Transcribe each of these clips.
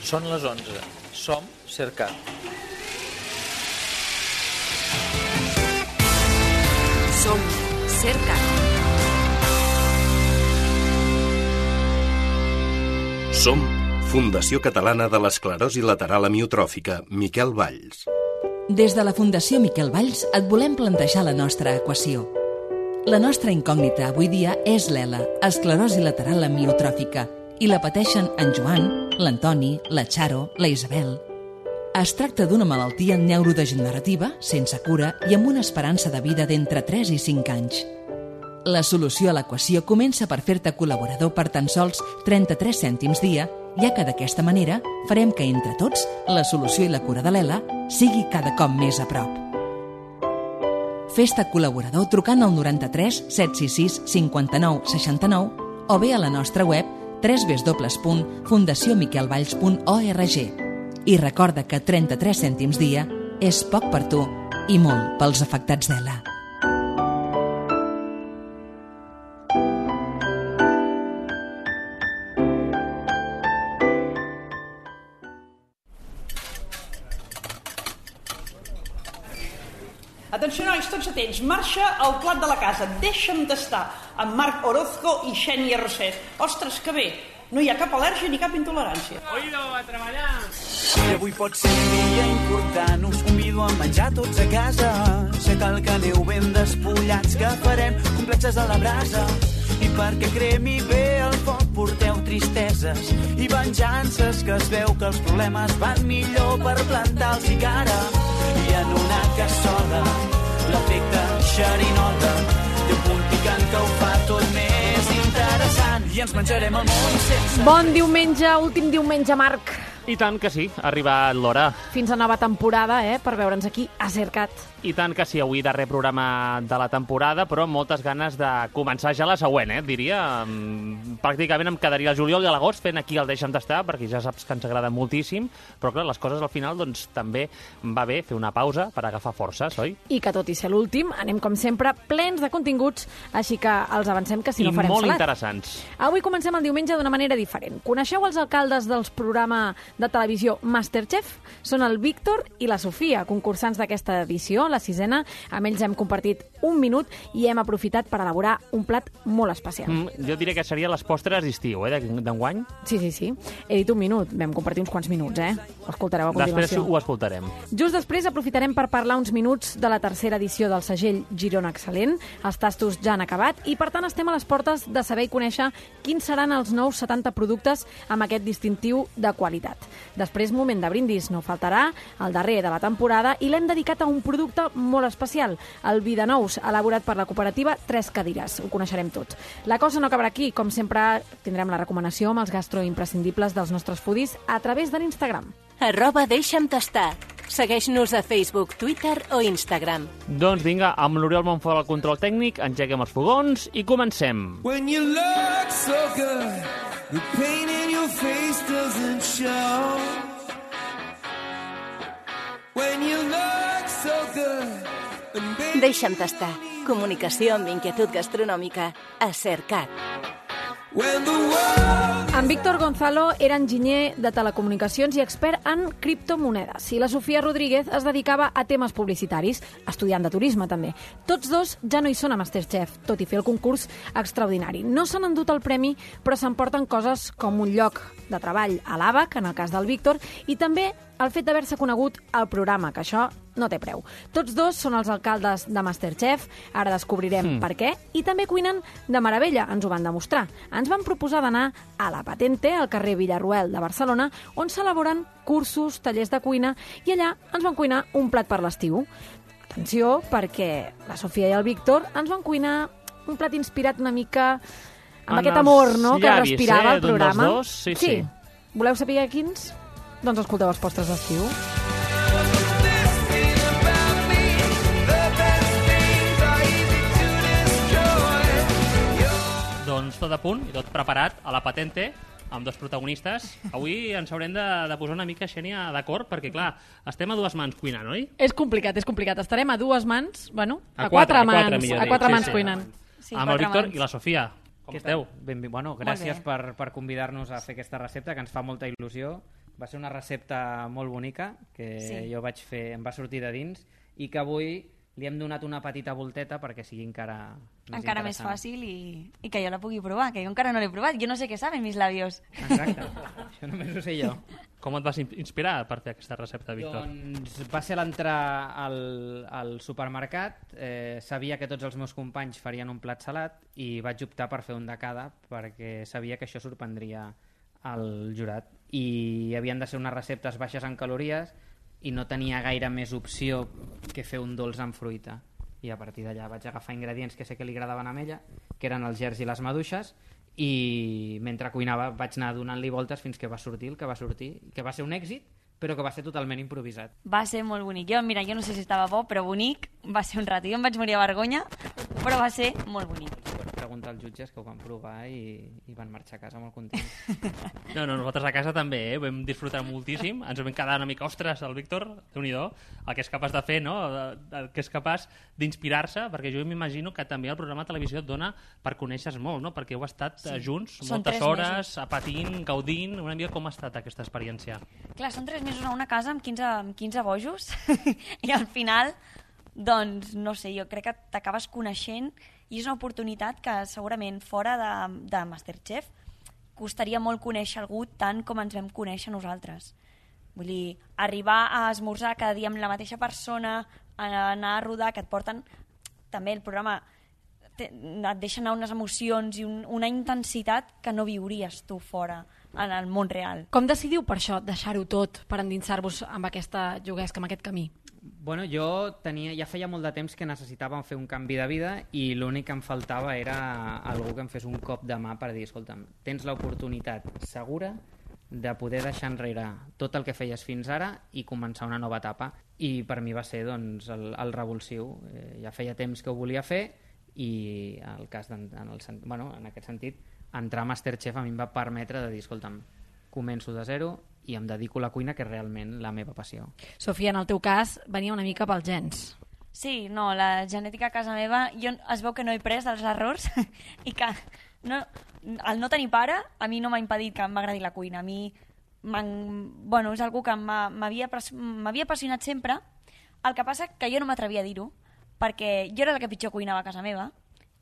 Són les 11. Som Cercat. Som Cercat. Som Fundació Catalana de l'Esclerosi Lateral Amiotròfica, Miquel Valls. Des de la Fundació Miquel Valls et volem plantejar la nostra equació. La nostra incògnita avui dia és l'ELA, esclerosi lateral amiotròfica, i la pateixen en Joan, l'Antoni, la Charo, la Isabel. Es tracta d'una malaltia neurodegenerativa, sense cura i amb una esperança de vida d'entre 3 i 5 anys. La solució a l'equació comença per fer-te col·laborador per tan sols 33 cèntims dia, ja que d'aquesta manera farem que entre tots la solució i la cura de l'ELA sigui cada cop més a prop. Fes-te col·laborador trucant al 93 766 59 69 o bé a la nostra web www.fundaciomiquelvalls.org. I recorda que 33 cèntims dia és poc per tu i molt pels afectats d'ELA. Atenció, nois, tots atents. Marxa al plat de la casa. Deixa'm d'estar amb Marc Orozco i Xènia Roset. Ostres, que bé. No hi ha cap al·lèrgia ni cap intolerància. Oído, a treballar! I avui pot ser un dia important, us convido a menjar tots a casa. Sé cal que aneu ben despullats, que farem complexes a la brasa. I perquè cremi bé el foc porteu tristeses i venjances, que es veu que els problemes van millor per plantar-los i cara. I en una cassola, l'efecte xerinola, té un punt picant que ho fa tot més interessant. I ens menjarem el món sense... Bon diumenge, últim diumenge, Marc. I tant que sí, ha arribat l'hora. Fins a nova temporada, per veure'ns aquí a Cercat. I tant que sí, avui darrer programa de la temporada, però amb moltes ganes de començar ja la següent, diria. Pràcticament em quedaria el juliol i l'agost fent aquí el Deixa'm d'estar, perquè ja saps que ens agrada moltíssim, però clar, les coses al final doncs també va bé fer una pausa per agafar forces, oi? I que tot i ser l'últim, anem com sempre plens de continguts, així que els avancem que si no farem salat. I molt interessants. Avui comencem el diumenge d'una manera diferent. Coneixeu els alcaldes dels programes de televisió Masterchef? Són el Víctor i la Sofia, concursants d'aquesta edició, la 6ena. Amb ells hem compartit un minut i hem aprofitat per elaborar un plat molt especial. Jo diria que serien les postres d'estiu, d'enguany. Sí. He dit un minut, vam compartir uns quants minuts, Ho escoltareu a continuació. Després ho escoltarem. Just després aprofitarem per parlar uns minuts de la tercera edició del segell Girona Excel·lent. Els tastos ja han acabat i, per tant, estem a les portes de saber i conèixer quins seran els nous 70 productes amb aquest distintiu de qualitat. Després, moment de brindis, no faltarà, el darrer de la temporada, i l'hem dedicat a un producte molt especial, el vi de nous, elaborat per la cooperativa Tres Cadires. Ho coneixerem tots. La cosa no acabarà aquí. Com sempre, tindrem la recomanació amb els gastroimprescindibles dels nostres foodies a través de l'Instagram. @deixa'm tastar. Segueix-nos a Facebook, Twitter o Instagram. Doncs vinga, amb l'Oriol Montfort al control tècnic, engeguem els fogons i comencem. When you look so good, the pain in your face doesn't show. When you look so good. Deixa'm tastar. Comunicació amb inquietud gastronòmica a Cercat. En Víctor Gonzalo era enginyer de telecomunicacions i expert en criptomonedes. I la Sofia Rodríguez es dedicava a temes publicitaris, estudiant de turisme també. Tots dos ja no hi són a Masterchef, tot i fer el concurs extraordinari. No s'han endut el premi, però s'emporten coses com un lloc de treball a l'ABAC, en el cas del Víctor, i també el fet d'haver-se conegut al programa, que això no té preu. Tots dos són els alcaldes de Masterchef, ara descobrirem per què, i també cuinen de meravella, ens ho van demostrar. Ens van proposar d'anar a La Patente, al carrer Villarroel de Barcelona, on s'elaboren cursos, tallers de cuina, i allà ens van cuinar un plat per l'estiu. Atenció, perquè la Sofia i el Víctor ens van cuinar un plat inspirat una mica amb aquest amor, no?, que respirava el programa. Dos, sí. Voleu saber quins? Doncs escolteu els postres d'estiu. Doncs tot a punt i tot preparat a La Patente, amb dos protagonistes. Avui ens haurem de posar una mica, Xènia, d'acord, perquè, clar, estem a dues mans cuinant, oi? És complicat. Estarem a dues mans, bueno, a quatre mans cuinant. Sí, amb el Víctor i la Sofia. Com esteu? Bueno, gràcies per convidar-nos a fer aquesta recepta, que ens fa molta il·lusió. Va ser una recepta molt bonica que jo vaig fer, em va sortir de dins i que avui li hem donat una petita volteta perquè sigui encara més fàcil i que jo la pugui provar, que jo encara no l'he provat. Jo no sé què saben mis labios. Exacte, això només ho sé jo. Com et vas inspirar per fer aquesta recepta, Víctor? Doncs va ser l'entrar al supermercat, sabia que tots els meus companys farien un plat salat i vaig optar per fer un de cada perquè sabia que això sorprendria el jurat. I havien de ser unes receptes baixes en calories i no tenia gaire més opció que fer un dolç amb fruita. I a partir d'allà vaig agafar ingredients que sé que li agradaven a ella, que eren els gerds i les maduixes, i mentre cuinava vaig anar donant-li voltes fins que va sortir el que va sortir, que va ser un èxit, però que va ser totalment improvisat. Va ser molt bonic. Jo no sé si estava bo, però bonic va ser un rato. Jo em vaig morir a vergonya, però va ser molt bonic. Preguntar als jutges que ho van provar i van marxar a casa molt contents. No, nosaltres a casa també, vam disfrutar moltíssim, ens vam quedar una mica, ostres, el Víctor, Déu-n'hi-do, el que és capaç de fer, no? El que és capaç d'inspirar-se, perquè jo m'imagino que també el programa de televisió et dona per conèixer molt, no? Perquè heu estat junts moltes hores, patint, gaudint, una mica com ha estat aquesta experiència? Clar, són 3 mesos a una casa amb 15 bojos i al final, doncs, no sé, jo crec que t'acabes coneixent i és una oportunitat que segurament fora de Masterchef costaria molt conèixer algú tant com ens vam conèixer nosaltres. Vull dir, arribar a esmorzar cada dia amb la mateixa persona, anar a rodar, que et porten... També el programa et deixa anar unes emocions i una intensitat que no viuries tu fora en el món real. Com decidiu per això deixar-ho tot per endinsar-vos amb aquesta juguesca, amb aquest camí? Bueno, jo ja feia molt de temps que necessitàvem fer un canvi de vida i l'únic que em faltava era algú que em fes un cop de mà per dir, escolta'm, tens l'oportunitat segura de poder deixar enrere tot el que feies fins ara i començar una nova etapa. I per mi va ser doncs, el revulsiu. Ja feia temps que ho volia fer i el cas en aquest sentit, entrar a Masterchef a mi em va permetre de dir, escolta'm, començo de zero i em dedico a la cuina, que és realment la meva passió. Sofia, en el teu cas, venia una mica pels gens. Sí, no, la genètica a casa meva, es veu que no he pres dels errors i que el no tenir pare a mi no m'ha impedit que m'agradi la cuina. A mi és algú que m'havia apassionat sempre. El que passa que jo no m'atrevia a dir-ho, perquè jo era la que pitjor cuinava a casa meva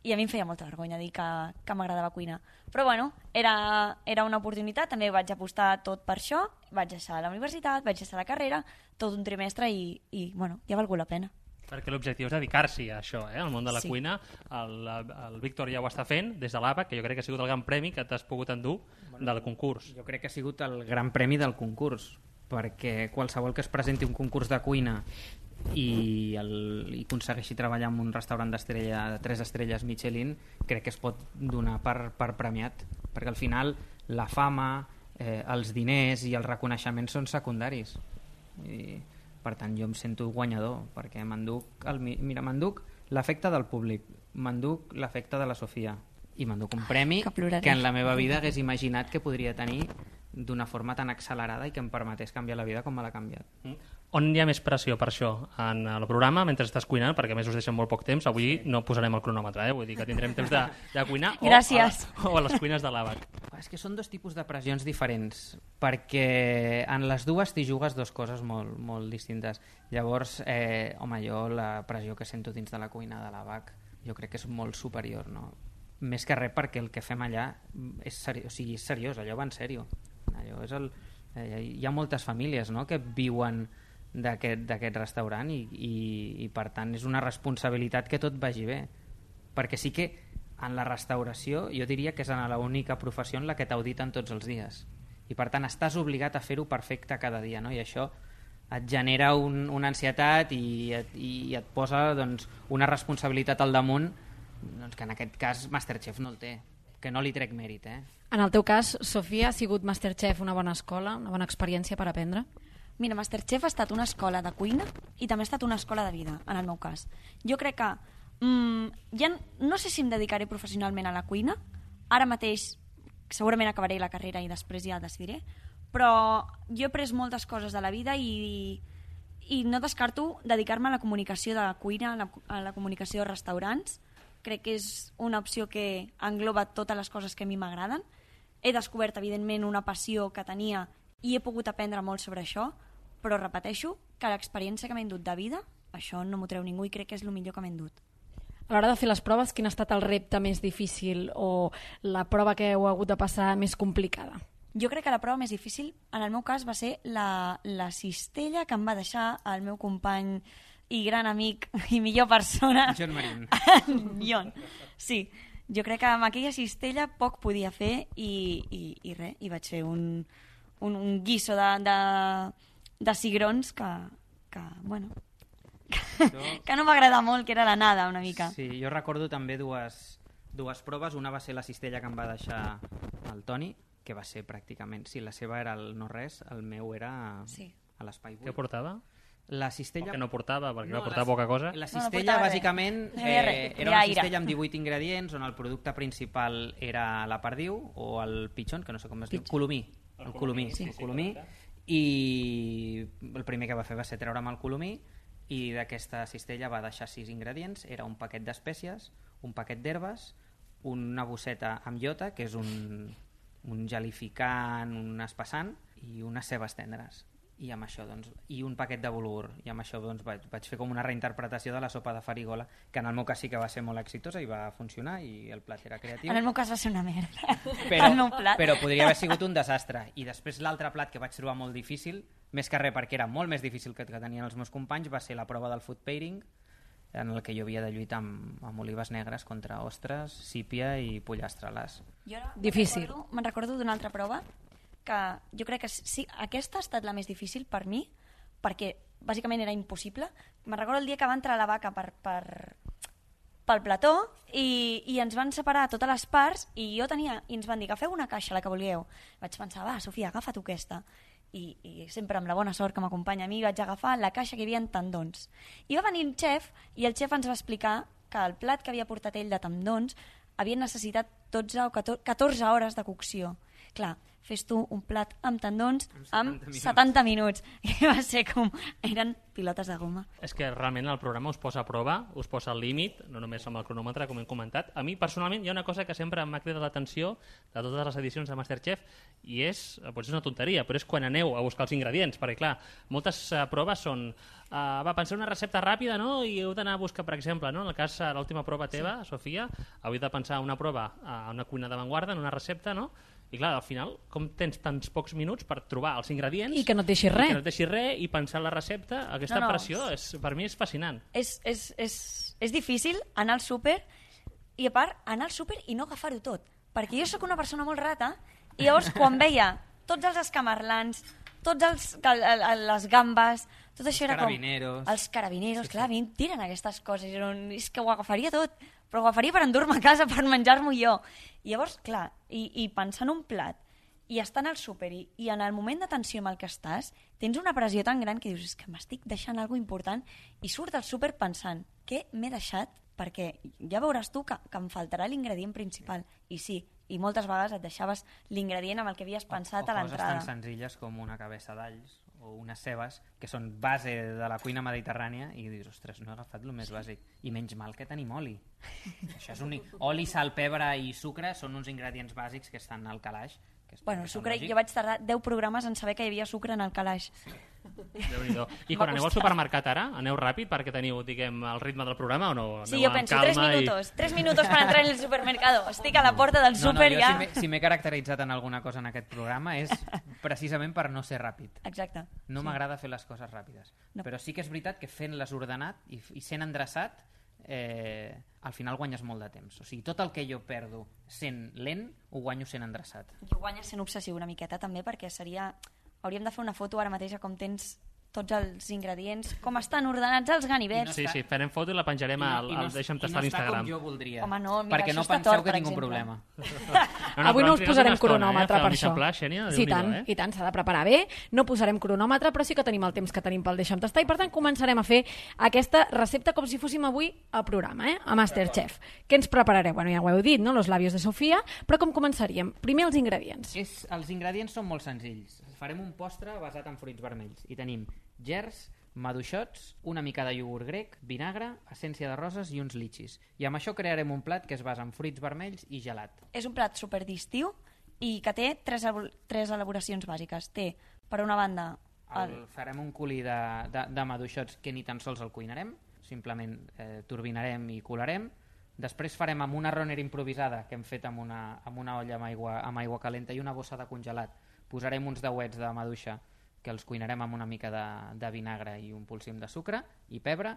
i a mi em feia molta vergonya dir que m'agradava cuinar. Però bueno, era una oportunitat, també vaig apostar tot per això, vaig deixar la universitat, vaig deixar la carrera, tot un trimestre i bueno, ja ha valgut la pena. Perquè l'objectiu és dedicar-s'hi a això, al món de la cuina. El Víctor ja ho està fent des de l'ABAC, que jo crec que ha sigut el gran premi que t'has pogut endur del concurs. Jo crec que ha sigut el gran premi del concurs, perquè qualsevol que es presenti un concurs de cuina i aconsegueixi treballar en un restaurant de 3 estrelles Michelin, crec que es pot donar per premiat, perquè al final la fama, els diners i el reconeixement són secundaris i per tant jo em sento guanyador perquè m'enduc l'efecte del públic, m'enduc l'efecte de la Sofia i m'enduc un premi que en la meva vida hagués imaginat que podria tenir d'una forma tan accelerada i que em permetés canviar la vida com me l'ha canviat. On hi ha més pressió per això? En el programa, mentre estàs cuinant, perquè a més us deixen molt poc temps, avui no posarem el cronòmetre, vull dir que tindrem temps de cuinar o a les cuines de l'ABAC. És que són 2 tipus de pressions diferents, perquè en les dues t'hi jugues 2 coses molt, molt distintes. Llavors, jo la pressió que sento dins de la cuina de l'ABAC jo crec que és molt superior, no? Més que res perquè el que fem allà és seriós, allò va en sèrio. Hi ha moltes famílies, no?, que viuen d'aquest restaurant i per tant és una responsabilitat que tot vagi bé, perquè sí que en la restauració jo diria que és l'única professió en la que t'auditen tots els dies i per tant estàs obligat a fer-ho perfecte cada dia, no? I això et genera una ansietat i et posa doncs, una responsabilitat al damunt doncs, que en aquest cas Masterchef no el té, que no li trec mèrit. En el teu cas, Sofia, ha sigut Masterchef una bona escola, una bona experiència per aprendre? Mira, Masterchef ha estat una escola de cuina i també ha estat una escola de vida, en el meu cas. Jo crec que ja no sé si em dedicaré professionalment a la cuina, ara mateix segurament acabaré la carrera i després ja decidiré, però jo he pres moltes coses de la vida i no descarto dedicar-me a la comunicació de cuina, a la comunicació de restaurants. Crec que és una opció que engloba totes les coses que a mi m'agraden. He descobert, evidentment, una passió que tenia i he pogut aprendre molt sobre això, però repeteixo que l'experiència que m'he endut de vida, això no m'ho treu ningú i crec que és el millor que m'he endut. A l'hora de fer les proves, quin ha estat el repte més difícil o la prova que heu hagut de passar més complicada? Jo crec que la prova més difícil, en el meu cas, va ser la cistella que em va deixar el meu company i gran amic i millor persona... John Marín. John, sí. Jo crec que amb aquella cistella poc podia fer i res, i vaig fer un guiso de cigrons que bueno... que no m'agrada molt, que era la nada una mica. Sí, jo recordo també dues proves. Una va ser la cistella que em va deixar el Toni, que va ser pràcticament... Sí, la seva era el no res, el meu era a l'espai buit. Què portava? La cistella... O que no portava, perquè va portar poca cosa. La cistella, bàsicament, era una cistella amb 18 ingredients, on el producte principal era la perdiu, o el pitxon, que no sé com es diu, colomí. El colomí, sí. El colomí. I el primer que va fer va ser treure'm el colomí, i d'aquesta cistella va deixar 6 ingredients. Era un paquet d'espècies, un paquet d'herbes, una bosseta amb iota, que és un gelificant, un espessant, i unes cebes tendres. I amb això, doncs, i un paquet de bulgur. I amb això doncs, vaig fer com una reinterpretació de la sopa de farigola, que en el meu cas sí que va ser molt exitosa i va funcionar, i el plat era creatiu. En el meu cas va ser una merda. Però podria haver sigut un desastre. I després l'altre plat que vaig trobar molt difícil, més que res perquè era molt més difícil que tenien els meus companys, va ser la prova del food pairing, en el que jo havia de lluitar amb olives negres contra ostres, sípia i pollastre a l'as. Difícil. Me'n recordo d'una altra prova que jo crec que sí, aquesta ha estat la més difícil per mi, perquè bàsicament era impossible. Me'n recordo el dia que va entrar la vaca pel plató i ens van separar totes les parts i ens van dir, agafeu una caixa, la que vulgueu. Vaig pensar, va, Sofia, agafa tu aquesta. I sempre amb la bona sort que m'acompanya a mi vaig agafar la caixa que hi havia tendons. I va venir el xef i el xef ens va explicar que el plat que havia portat ell de tendons havia necessitat 12 o 14 hores de cocció. Clar, fes tu un plat amb tendons amb 70 minuts. I va ser com... eren pilotes de goma. És que realment el programa us posa a prova, us posa al límit, no només amb el cronòmetre, com hem comentat. A mi, personalment, hi ha una cosa que sempre m'ha cridat l'atenció de totes les edicions de Masterchef, i potser és una tonteria, però és quan aneu a buscar els ingredients, perquè, clar, moltes proves són... pensar una recepta ràpida, no? I heu d'anar a buscar, per exemple, no? En el cas de l'última prova teva, Sofia, heu de pensar una prova a una cuina d'avantguarda, en una recepta, no? I clar, al final, com tens tants pocs minuts per trobar els ingredients... I que no et deixis res. I que no et deixis res, i pensar la recepta, aquesta pressió, per mi és fascinant. És difícil anar al súper, i a part, anar al súper i no agafar-ho tot. Perquè jo sóc una persona molt rata, i llavors quan veia tots els escamarlans, tots les gambes, tot això era com... Els carabineros, clar, a mi em tiren aquestes coses, és que ho agafaria tot, però ho agafaria per endur-me a casa, per menjar-m'ho jo. I llavors, clar, i pensar en un plat, i estar al súper, i en el moment de tensió amb el que estàs, tens una pressió tan gran que dius, és que m'estic deixant alguna important, i surt del súper pensant, què m'he deixat? Perquè ja veuràs tu que em faltarà l'ingredient principal. I sí, i moltes vegades et deixaves l'ingredient amb el que havies pensat a l'entrada. O coses tan senzilles com una cabeça d'alls o unes cebes, que són base de la cuina mediterrània, i dius, ostres, no he agafat el més bàsic. I menys mal que tenim oli. Això és oli, sal, pebre i sucre són uns ingredients bàsics que estan al calaix. Bueno, sucre, jo vaig tardar 10 programes en saber que hi havia sucre en el calaix. Déu-n'hi-do. I quan aneu al supermercat ara, aneu ràpid perquè teniu, diguem, el ritme del programa o no? Sí, jo penso, 3 minutos. 3 minutos per entrar en el supermercado. Estic a la porta del súper ja... Si m'he caracteritzat en alguna cosa en aquest programa és precisament per no ser ràpid. Exacte. No m'agrada fer les coses ràpides. Però sí que és veritat que fent-les ordenat i sent endreçat, al final guanyes molt de temps. O sigui, tot el que jo perdo sent lent, ho guanyo sent endreçat. Jo guanyes sent obsessiu una miqueta també, perquè hauríem de fer una foto ara mateix com tens tots els ingredients, com estan ordenats els ganivets. Sí, farem foto i la penjarem al Deixa'm Tastar a l'Instagram. I no està com jo voldria. Home, no, mira, perquè no penseu tort, que tinc un problema. Avui no us posarem cronòmetre per això. Sí, i tant, s'ha de preparar bé. No posarem cronòmetre, però sí que tenim el temps que tenim pel Deixa'm Tastar, i per tant començarem a fer aquesta recepta com si fóssim avui al programa, a Masterchef. Què ens preparareu? Bueno, ja ho heu dit, no? Los labios de Sofia, però com començaríem? Primer els ingredients. Els ingredients són molt senzills. Farem un postre basat en fruits vermells i tenim gerds, maduixots, una mica de iogurt grec, vinagre, essència de roses i uns litxis. I amb això crearem un plat que es basa en fruits vermells i gelat. És un plat superdistiu i que té tres elaboracions bàsiques. Té, per una banda... Farem un culi de maduixots que ni tan sols el cuinarem, simplement turbinarem i colarem. Després farem amb una runner improvisada que hem fet amb una olla amb aigua calenta i una bossa de congelat. Posarem uns dauets de maduixa que els cuinarem amb una mica de vinagre i un polsim de sucre i pebre,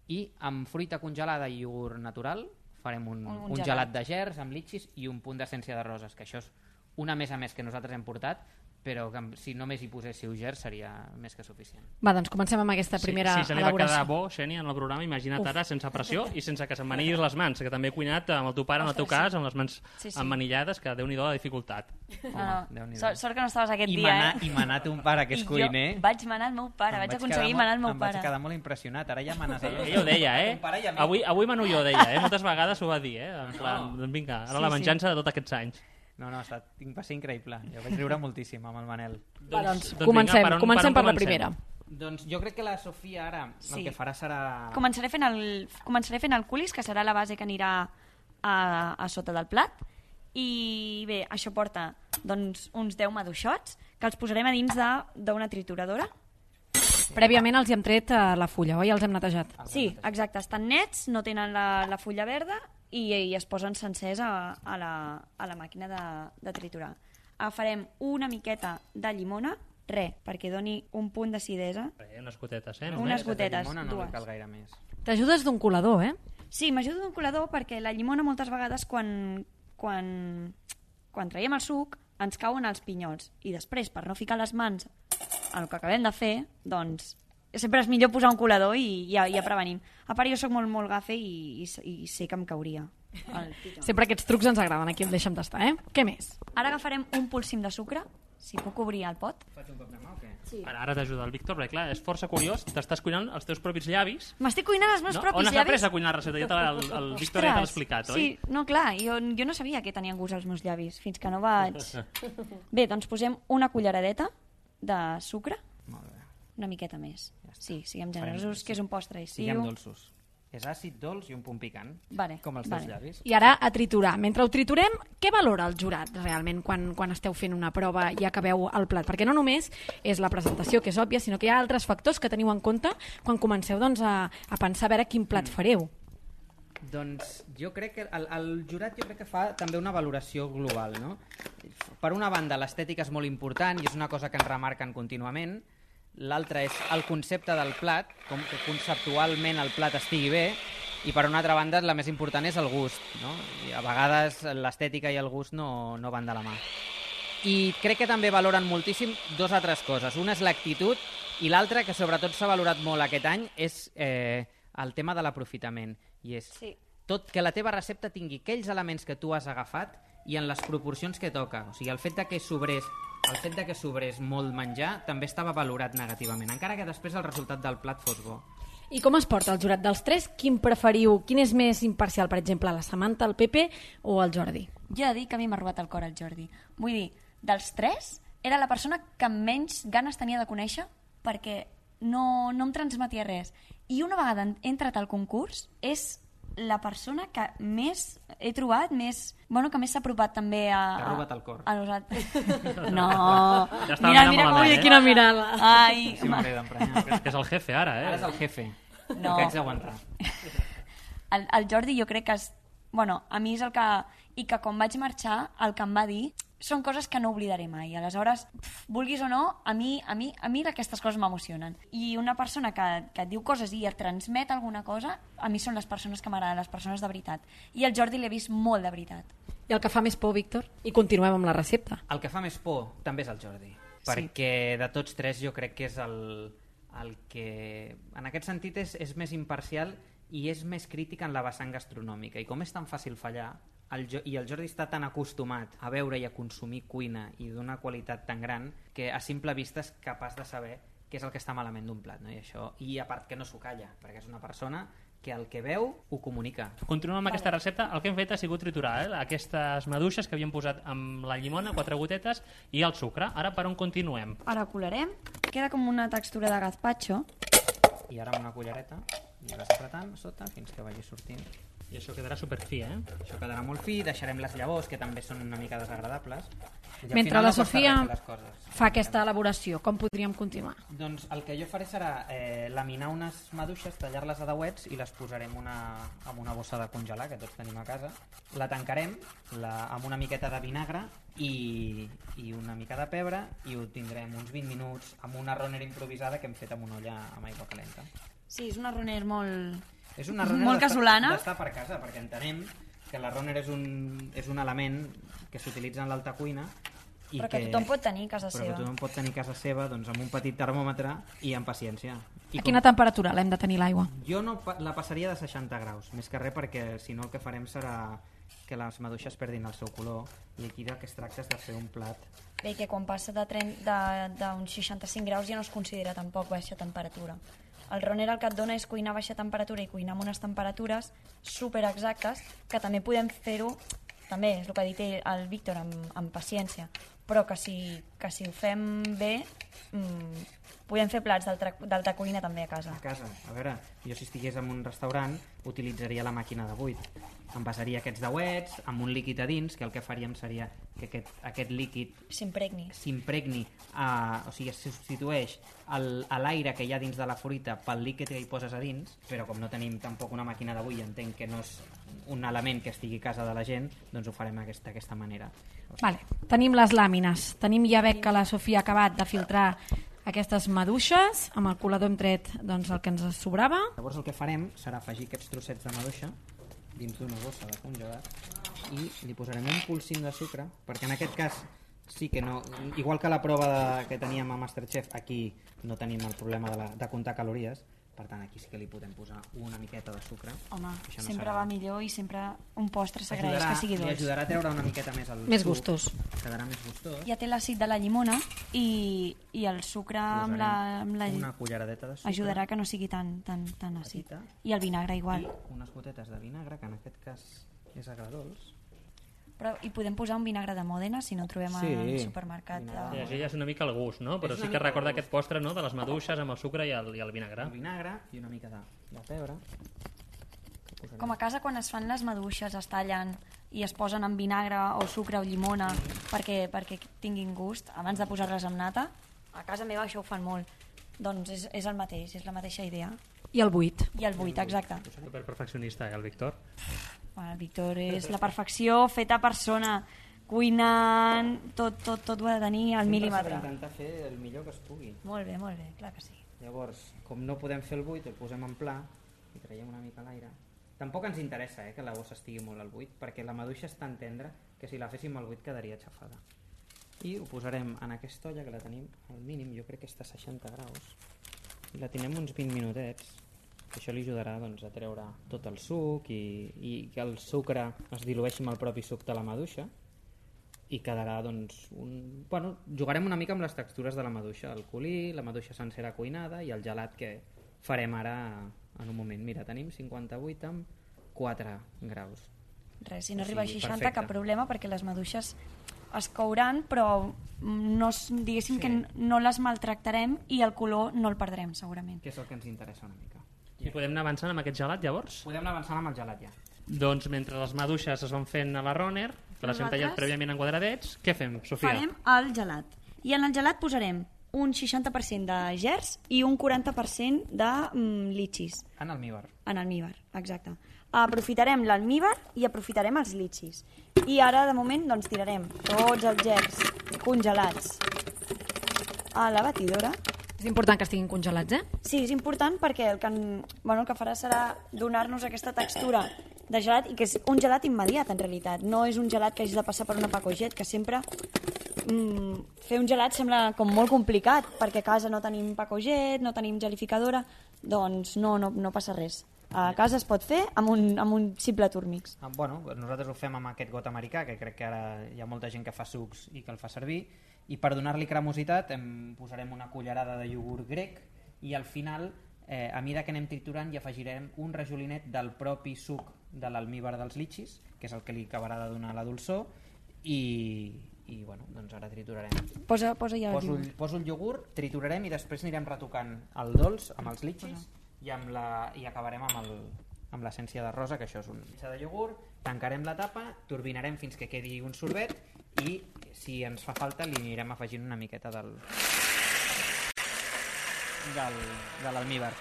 i amb fruita congelada i iogurt natural farem un gelat de gerds amb litxis i un punt d'essència de roses, que això és una més a més que nosaltres hem portat, però que si només hi poséssiu gerds seria més que suficient. Va, doncs comencem amb aquesta primera elaboració. Si se li va quedar bo, Xènia, en el programa, imagina't ara sense pressió i sense que se'n manillis les mans, que també he cuinat amb el teu pare, en el teu cas, amb les mans emmanillades, que Déu-n'hi-do la dificultat. Sort que no estaves aquest dia, I manar un pare que és cuiner. I jo vaig manar el meu pare, vaig aconseguir manar el meu pare. Em vaig quedar molt impressionat, ara ja manes a Ella ho deia, Avui mano jo, deia, moltes vegades ho va dir, en plan, vinga, ara la venjança de tots aquests anys. No, va ser increïble. Jo vaig riure moltíssim amb el Manel. Doncs comencem per la primera. Doncs jo crec que la Sofia ara el que farà serà... Començaré fent el culis, que serà la base que anirà a sota del plat. I bé, això porta doncs, uns 10 maduixots, que els posarem a dins d'una trituradora. Prèviament els hi hem tret la fulla, oi? Els hem netejat. Sí, exacte. Estan nets, no tenen la fulla verda, i es posen sencers a la màquina de triturar. Agafarem una miqueta de llimona, perquè doni un punt d'acidesa. Unes gotetes, Unes gotetes, no dues. cal gaire més. T'ajudes d'un colador, Sí, m'ajudo d'un colador perquè la llimona moltes vegades quan traiem el suc ens cauen els pinyols i després, per no ficar les mans en el que acabem de fer, doncs sempre és millor posar un colador i ja prevenim. A part, jo soc molt gafe i sé que em cauria. Sempre aquests trucs ens agraden, aquí el deixem tastar, Què més? Ara agafarem un polsim de sucre, si puc obrir el pot. Faig un cop de mà o què? Sí. Ara t'ajuda el Víctor, perquè clar, és força curiós, t'estàs cuinant els teus propis llavis. M'estic cuinant els meus propis llavis? On has après a cuinar la recepta? El Víctor ja t'ha explicat, oi? Sí, no, clar, jo no sabia que tenien gust els meus llavis, fins que no vaig... Bé, doncs posem una culleradeta de sucre. Molt bé. Una miqueta més. Sí, siguem generosos, que és un postre estiu. Siguem dolços. És àcid, dolç i un punt picant, com els teus llavis. I ara a triturar. Mentre ho triturem, què valora el jurat realment quan esteu fent una prova i acabeu el plat? Perquè no només és la presentació, que és òbvia, sinó que hi ha altres factors que teniu en compte quan comenceu a pensar a veure quin plat fareu. Doncs jo crec que el jurat que fa també una valoració global, no? Per una banda, l'estètica és molt important i és una cosa que ens remarquen contínuament. L'altre és el concepte del plat, com que conceptualment el plat estigui bé, i per una altra banda la més important és el gust, no? I a vegades l'estètica i el gust no van de la mà. I crec que també valoren moltíssim dues altres coses. Una és l'actitud i l'altra, que sobretot s'ha valorat molt aquest any, és el tema de l'aprofitament. I és que la teva recepta tingui aquells elements que tu has agafat i en les proporcions que toca. O sigui, el fet que sobrés molt menjar també estava valorat negativament, encara que després el resultat del plat fos bo. I com es porta el jurat dels tres? Quin preferiu? Quin és més imparcial, per exemple, la Samantha, el Pepe o el Jordi? Jo he de dir que a mi m'ha robat el cor el Jordi. Vull dir, dels tres, era la persona que menys ganes tenia de conèixer perquè no em transmetia res. I una vegada he entrat al concurs, és la persona que més he trobat, que més s'ha apropat també a... T'ha robat el cor. A nosaltres. No. Ja mira com quina mirada. Ai, sí, m'hauré d'emprenyar. Que és el jefe ara, Ara és el jefe. No. Que haig d'aguantar. El Jordi jo crec que a mi és el que... I que quan vaig marxar, el que em va dir són coses que no oblidaré mai. Aleshores, vulguis o no, a mi aquestes coses m'emocionen. I una persona que et diu coses i et transmet alguna cosa, a mi són les persones que m'agraden, les persones de veritat. I el Jordi l'he vist molt de veritat. I el que fa més por, Víctor? I continuem amb la recepta. El que fa més por també és el Jordi. Perquè de tots tres jo crec que és el que... En aquest sentit és més imparcial i és més crític en la vessant gastronòmica. I com és tan fàcil fallar... I el Jordi està tan acostumat a veure i a consumir cuina i d'una qualitat tan gran que a simple vista és capaç de saber què és el que està malament d'un plat, no? I a part que no s'ho calla, perquè és una persona que el que veu ho comunica. Continuem amb aquesta recepta. El que hem fet ha sigut triturar aquestes maduixes que havíem posat amb la llimona, 4 gotetes, i el sucre. Ara per on continuem? Ara colarem. Queda com una textura de gazpacho. I ara amb una cullereta i vas apretant sota fins que vagi sortint. I això quedarà superfi, Això quedarà molt fi, deixarem les llavors, que també són una mica desagradables. Mentre la Sofia fa aquesta elaboració, com podríem continuar? Doncs el que jo faré serà laminar unes maduixes, tallar-les a dauets i les posarem en una bossa de congelar, que tots tenim a casa. La tancarem amb una miqueta de vinagre i una mica de pebre i ho tindrem uns 20 minuts amb una runner improvisada que hem fet amb una olla amb aigua calenta. Sí, és una runner molt... És una runner molt casolana. D'estar per casa, perquè entenem que la runner és un element que s'utilitza en l'alta cuina i però que tothom pot tenir a casa seva. Però que tothom pot tenir a casa seva doncs, amb un petit termòmetre i amb paciència. A quina temperatura l'hem de tenir l'aigua? Jo no la passaria de 60 graus, més que res perquè si no el que farem serà que les maduixes perdin el seu color i aquí del que es tracta és de fer un plat. Bé, que quan passa d'uns 65 graus ja no es considera tampoc baixa temperatura. El runner el que et dona és cuinar a baixa temperatura i cuinar amb unes temperatures super exactes, que també podem fer-ho, també és el que ha dit el Víctor, amb paciència, però que si ho fem bé, podem fer plats d'alta cuina també a casa. A casa, a veure, jo si estigués en un restaurant utilitzaria la màquina de buit. Envasaria aquests dauets amb un líquid a dins, que el que faríem seria que aquest líquid s'impregni, o sigui, es substitueix l'aire que hi ha dins de la fruita pel líquid que hi poses a dins, però com no tenim tampoc una màquina de buit, entenc que no és un element que estigui a casa de la gent, doncs ho farem d'aquesta manera. Vale. Tenim les làmines, ja veig que la Sofia ha acabat de filtrar aquestes maduixes, amb el colador hem tret doncs, el que ens sobrava. Llavors el que farem serà afegir aquests trossets de maduixa dins d'una bossa de congelat i li posarem un polsim de sucre, perquè en aquest cas sí que no, igual que la prova que teníem a Masterchef, aquí no tenim el problema de comptar calories, per tant aquí sí que li podem posar una miqueta de sucre. Home, sempre va millor i sempre un postre s'agraeix que sigui dolç. Li ajudarà a treure una miqueta més el més suc, gustós. Quedarà més gustós. Ja té l'àcid de la llimona i el sucre amb la una culleradeta de sucre ajudarà que no sigui tan àcid. I el vinagre igual. I unes gotetes de vinagre, que en aquest cas és agredolç. Però hi podem posar un vinagre de Mòdena si no el trobem al supermercat. Sí, així ja és una mica el gust, no? Però sí que recorda aquest postre, no?, de les maduixes amb el sucre i el vinagre. El vinagre i una mica de pebre. Com a casa, quan es fan les maduixes, es tallen i es posen amb vinagre o sucre o llimona perquè tinguin gust, abans de posar-les amb nata, a casa meva això ho fan molt. Doncs és el mateix, és la mateixa idea. I el buit. I el buit, exacte. Super perfeccionista, el Víctor. El Víctor és la perfecció feta persona, cuinant, tot ho ha de tenir al mil·límetre. Sempre s'ha d'intentar fer el millor que es pugui. Molt bé, clar que sí. Llavors, com no podem fer el buit, el posem en pla i traiem una mica l'aire. Tampoc ens interessa que la bossa estigui molt al buit, perquè la maduixa és tan tendra que si la féssim al buit quedaria xafada. I ho posarem en aquesta olla, que la tenim al mínim, jo crec que està a 60 graus, i la tenim uns 20 minutets. Això li ajudarà doncs, a treure tot el suc i que el sucre es dilueixi amb el propi suc de la maduixa i quedarà doncs, jugarem una mica amb les textures de la maduixa, el colí, la maduixa sencera cuinada i el gelat que farem ara en un moment. Mira, tenim 58 amb 4 graus. Res, si no arriba a 60 perfecte. Cap problema, perquè les maduixes es couran, però diguéssim que no les maltractarem i el color no el perdrem segurament. Que és el que ens interessa una mica. I podem anar avançant amb aquest gelat, llavors? Podem anar avançant amb el gelat, ja. Doncs mentre les maduixes es van fent a la runner, que les hem tallat prèviament en quadradets, què fem, Sofia? Farem el gelat. I en el gelat posarem un 60% de gerds i un 40% de litxis. En almíbar. En almíbar, exacte. Aprofitarem l'almíbar i aprofitarem els litxis. I ara, de moment, doncs tirarem tots els gerds congelats a la batidora. És important que estiguin congelats, Sí, és important perquè el que farà serà donar-nos aquesta textura de gelat, i que és un gelat immediat, en realitat. No és un gelat que hagis de passar per una pacoget, que sempre fer un gelat sembla com molt complicat, perquè a casa no tenim pacoget, no tenim gelificadora, doncs no passa res. A casa es pot fer amb un simple turmix. Nosaltres ho fem amb aquest got americà, que crec que ara hi ha molta gent que fa sucs i que el fa servir, i per donar-li cremositat posarem una cullerada de iogurt grec i al final, a mesura que anem triturant, hi afegirem un rajolinet del propi suc de l'almíbar dels litxis, que és el que li acabarà de donar la dolçor, i doncs ara triturarem. Posa ja Poso el iogurt, triturarem i després anirem retocant el dolç amb els litxis i acabarem amb amb l'essència de rosa, que això és una missa de iogurt, tancarem la tapa, turbinarem fins que quedi un sorbet i si ens fa falta li anirem afegint una miqueta de l'almíbar.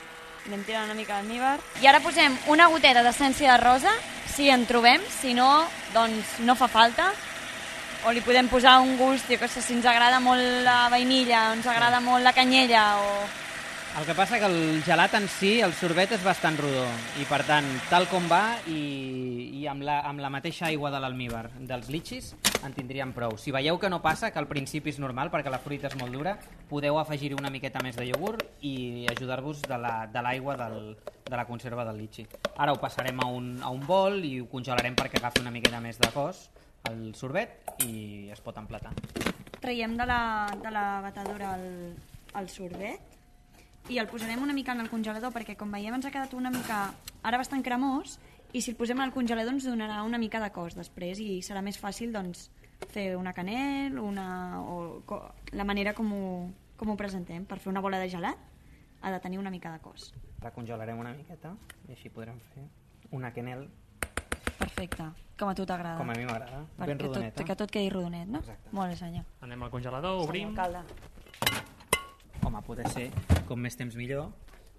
Anem tirant una mica d'almíbar. I ara posem una goteta d'essència de rosa, si en trobem, si no, doncs no fa falta. O li podem posar un gust, jo que sé, si ens agrada molt la vainilla, o ens agrada molt la canyella, o... El que passa que el gelat en si, el sorbet és bastant rodó, i per tant, tal com va, i amb la mateixa aigua de l'almíbar dels litxis, en tindríem prou. Si veieu que no passa, que al principi és normal, perquè la fruita és molt dura, podeu afegir-hi una miqueta més de iogurt i ajudar-vos de l'aigua de la conserva del litxi. Ara ho passarem a un bol i ho congelarem perquè agafi una miqueta més de cos, el sorbet, i es pot emplatar. Traiem de la batedora el sorbet i el posarem una mica en el congelador perquè, com veiem, ens ha quedat una mica ara bastant cremós, i si el posem al congelador ens donarà una mica de cos després i serà més fàcil doncs, fer una canel o la manera com ho presentem. Per fer una bola de gelat ha de tenir una mica de cos. La congelarem una miqueta i així podrem fer una quenel. Perfecte, com a tu t'agrada. Com a mi m'agrada, ben rodonet. Que tot quedi rodonet, no? Exacte. Molt bé, senyor. Anem al congelador, obrim. Home, poder ser, com més temps millor.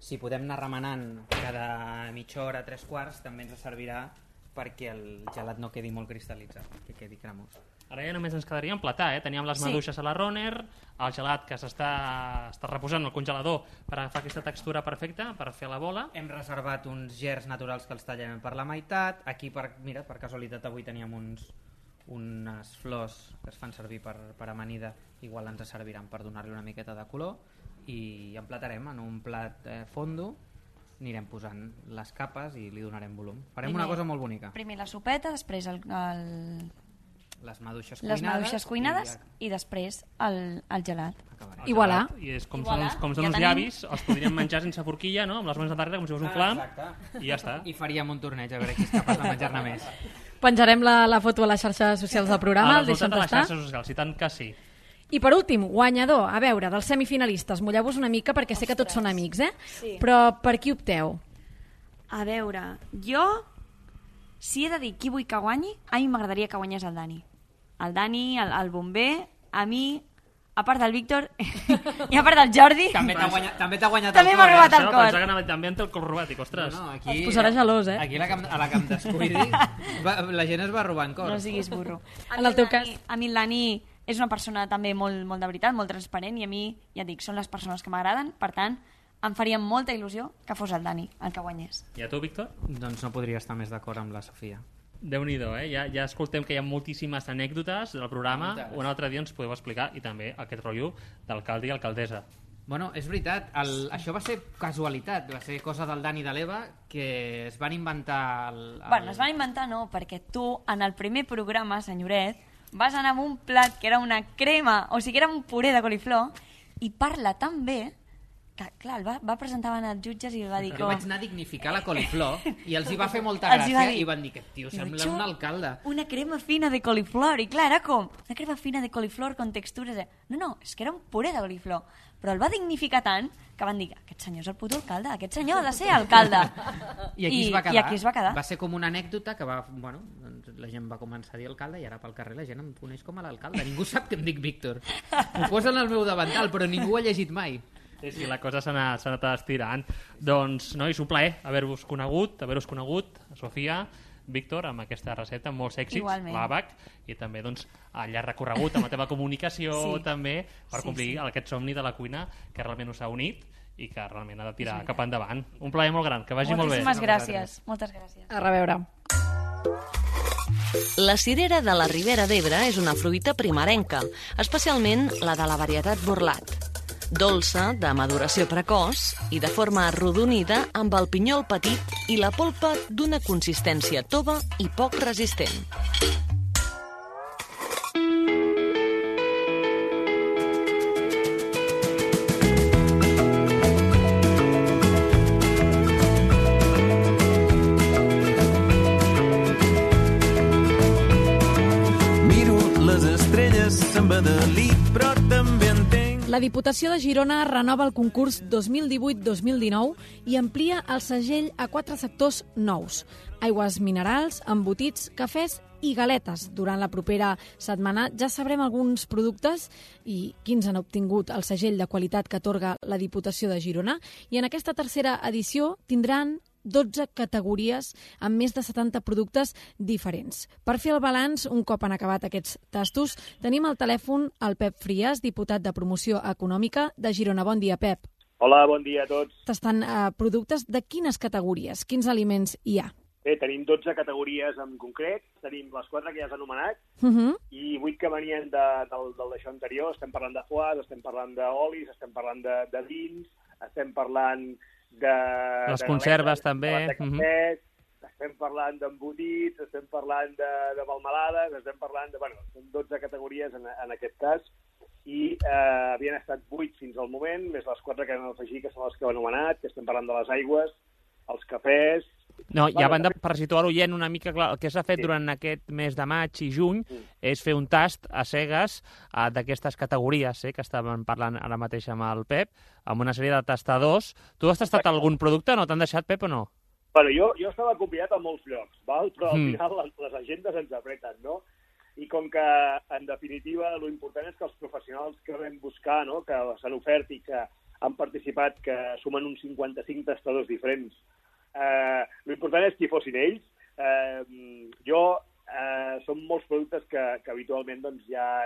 Si podem anar remenant cada mitja hora, 3/4, també ens servirà perquè el gelat no quedi molt cristal·litzat, que quedi cremós. Ara ja només ens quedaria emplatar, Teníem les maduixes a la Roner, el gelat que s'està reposant al congelador per agafar aquesta textura perfecta per fer la bola. Hem reservat uns gerds naturals que els tallem per la meitat. Aquí, per casualitat, avui teníem unes flors que es fan servir per amanida, igual ens serviran per donar-li una miqueta de color, i emplatarem en un plat fondo, anirem posant les capes i li donarem volum. Farem una cosa molt bonica. Primer la sopeta, després les maduixes cuinades i després el gelat. I voilà. I és com són uns llavis, els podríem menjar sense forquilla, no? Amb les mans de darrere, com si fos un flam, i ja està. I faríem un torneig a veure qui és capaç de menjar-ne més. Penjarem la foto a les xarxes socials del programa, el deixem tastar. A les tastar. xarxes socials, i tant que sí. I per últim, guanyador, a veure, dels semifinalistes, mulleu-vos una mica perquè sé que tots són amics, Sí. Però per qui opteu? A veure, jo, si he de dir qui vull que guanyi, a mi m'agradaria que guanyés el Dani. El Dani, el bomber, a mi, a part del Víctor i a part del Jordi... També t'ha guanyat també el cor. m'ha robat el cor. Pensava que també en té el cor robat, dic, ostres. Es posarà gelós, Aquí a la que em descuidi, la gent es va robant cor. No siguis burro. En el teu cas. A mi el Dani és una persona també molt de veritat, molt transparent, i a mi, ja dic, són les persones que m'agraden, per tant, em faria molta il·lusió que fos el Dani el que guanyés. I a tu, Víctor? Doncs no podria estar més d'acord amb la Sofia. Déu-n'hi-do, ja escoltem que hi ha moltíssimes anècdotes del programa. Un altre dia ens podeu explicar, i també aquest rotllo d'alcalde i alcaldessa. Bueno, és veritat, això va ser casualitat, va ser cosa del Dani i de l'Eva, que es van inventar... Bueno, es van inventar no, perquè tu, en el primer programa, senyoret, vas anar amb un plat que era una crema, o sigui, era un puré de coliflor, i parla tan bé que, clar, va presentar davant els jutges i va dir... Jo vaig anar a dignificar la coliflor i els hi va fer molta gràcia i van dir que, tio, sembla un alcalde. Una crema fina de coliflor, i clar, era com una crema fina de coliflor con textures... No, és que era un puré de coliflor, però el va dignificar tant que van dir, aquest senyor és el puto alcalde, aquest senyor ha de ser alcalde. I aquí es va quedar. Va ser com una anècdota que la gent va començar a dir alcalde i ara pel carrer la gent em coneix com a l'alcalde. Ningú sap que em dic Víctor. M'ho posen al meu davantal, però ningú ho ha llegit mai. Sí, la cosa s'ha anat estirant. Doncs, nois, un plaer haver-vos conegut, Sofia, Víctor, amb aquesta recepta, amb molts èxits, l'àbac, i també doncs, al llarg recorregut amb la teva comunicació també, per complir aquest somni de la cuina que realment us ha unit i que realment ha de tirar cap endavant. Un plaer molt gran, que vagi molt bé. Moltíssimes gràcies. Moltes gràcies. A reveure. La cirera de la Ribera d'Ebre és una fruita primerenca, especialment la de la varietat Borlat. Dolça, de maduració precoç i de forma arrodonida amb el pinyol petit i la polpa d'una consistència tova i poc resistent. Miro les estrelles amb Adelí, però també entenc... La La Diputació de Girona renova el concurs 2018-2019 i amplia el segell a 4 sectors nous: aigües minerals, embotits, cafès i galetes. Durant la propera setmana ja sabrem alguns productes i quins han obtingut el segell de qualitat que atorga la Diputació de Girona, i en aquesta tercera edició tindran 12 categories amb més de 70 productes diferents. Per fer el balanç, un cop han acabat aquests tastos, tenim al telèfon el Pep Frias, diputat de Promoció Econòmica de Girona. Bon dia, Pep. Hola, bon dia a tots. Tastant productes de quines categories? Quins aliments hi ha? Bé, tenim 12 categories en concret, tenim les 4 que ja has anomenat i 8 que venien d'això anterior. Estem parlant de foies, estem parlant d'olis, estem parlant de vins, estem parlant de les conserves, també. De cafès, estem parlant d'embotits, estem parlant de melmelades, estem parlant de... Bueno, són 12 categories en aquest cas, i havien estat 8 fins al moment, més les 4 que hem afegit, que són les que heu anomenat, que estem parlant de les aigües, els cafès... No, i a banda, per situar l'oient una mica, clar, el que s'ha fet durant aquest mes de maig i juny és fer un tast a cegues d'aquestes categories que estàvem parlant ara mateix amb el Pep, amb una sèrie de tastadors. Tu has tastat algun producte? No t'han deixat, Pep, o no? Bueno, jo estava convidat a molts llocs, val? Però al final les agendes ens apreten, no? I com que, en definitiva, l'important és que els professionals que vam buscar, no?, que s'han ofert i que han participat, que sumen uns 55 tastadors diferents, l'important és qui fossin ells. Són molts productes que habitualment doncs, ja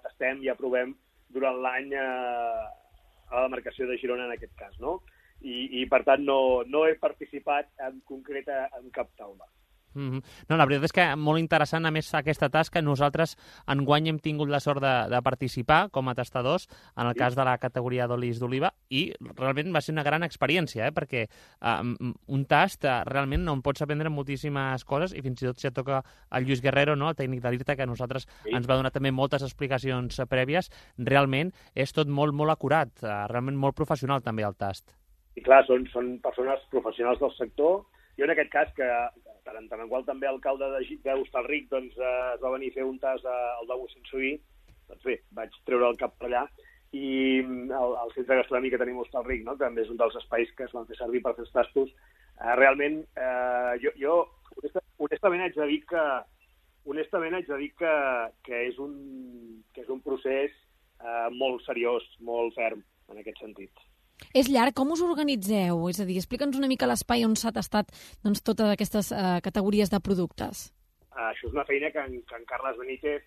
tastem, ja provem durant l'any a la demarcació de Girona, en aquest cas, no? I per tant, no he participat en concret en cap taula. No, la veritat és que molt interessant, a més, aquesta tasca. Nosaltres enguany hem tingut la sort de participar com a tastadors en el cas de la categoria d'olis d'oliva, i realment va ser una gran experiència, perquè un tast realment on pots aprendre moltíssimes coses, i fins i tot si et toca el Lluís Guerrero, no?, el tècnic de l'IRTA, que a nosaltres ens va donar també moltes explicacions prèvies. Realment és tot molt, molt acurat, realment molt professional també el tast. I clar, són persones professionals del sector. Jo en aquest cas, que tant en qual també l'alcalde d'Hostalric doncs, es va venir a fer un tast al de Mossèn-Subí, doncs bé, vaig treure el cap per allà, i el centre gastronòmic que tenim a Hostalric, no?, també és un dels espais que es van fer servir per fer els tastos. Realment, jo honestament haig de dir que és un procés molt seriós, molt ferm, en aquest sentit. És llarg? Com us organitzeu? És a dir, explica'ns una mica l'espai on s'ha tastat doncs, totes aquestes categories de productes. Això és una feina que en Carles Benítez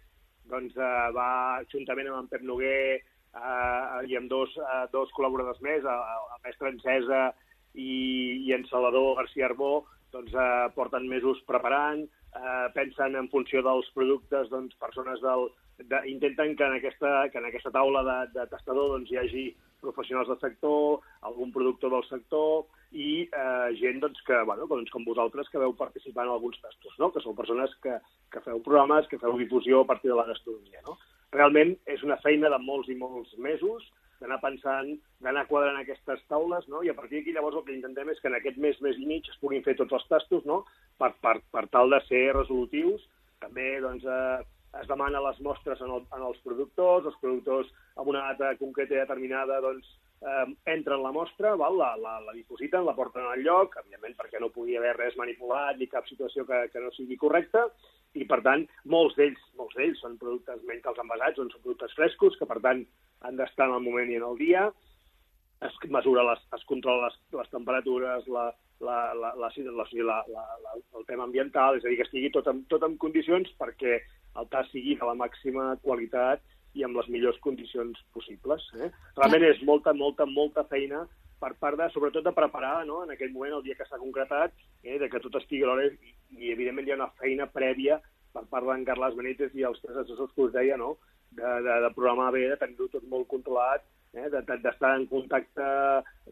doncs, va, juntament amb en Pep Noguer i amb dos col·laboradors més, el mestre Encesa i en Salvador García Arbó, doncs, porten mesos preparant, pensen en funció dels productes, doncs, persones intenten que en aquesta taula de tastador doncs, hi hagi professionals del sector, algun productor del sector i gent doncs, que, doncs, com vosaltres, que veu participar en alguns tastos, no?, que sou persones que feu programes, que feu difusió a partir de la gastronomia, no? Realment és una feina de molts i molts mesos d'anar pensant, d'anar quadrant aquestes taules, no?, i a partir d'aquí llavors el que intentem és que en aquest mes i mig es puguin fer tots els tastos, no?, per tal de ser resolutius. També doncs, es demana les mostres en els productors amb una data concreta i determinada doncs, entren la mostra, la dipositen, la porten al lloc, evidentment perquè no pugui haver res manipulat ni cap situació que no sigui correcta, i per tant molts d'ells són productes menys que els envasats, són productes frescos, que per tant han d'estar en el moment i en el dia, es controla les temperatures, el tema ambiental, és a dir, que estigui tot en condicions perquè el tast sigui de la màxima qualitat i amb les millors condicions possibles. Realment és molta feina per part sobretot de preparar, no?, en aquell moment, el dia que s'ha concretat, de que tot estigui a l'hora, i evidentment hi ha una feina prèvia per part d'en Carles Benítez i els 3 assessors que us deia, no?, de programar bé, de tenir-ho tot molt controlat, d'estar en contacte,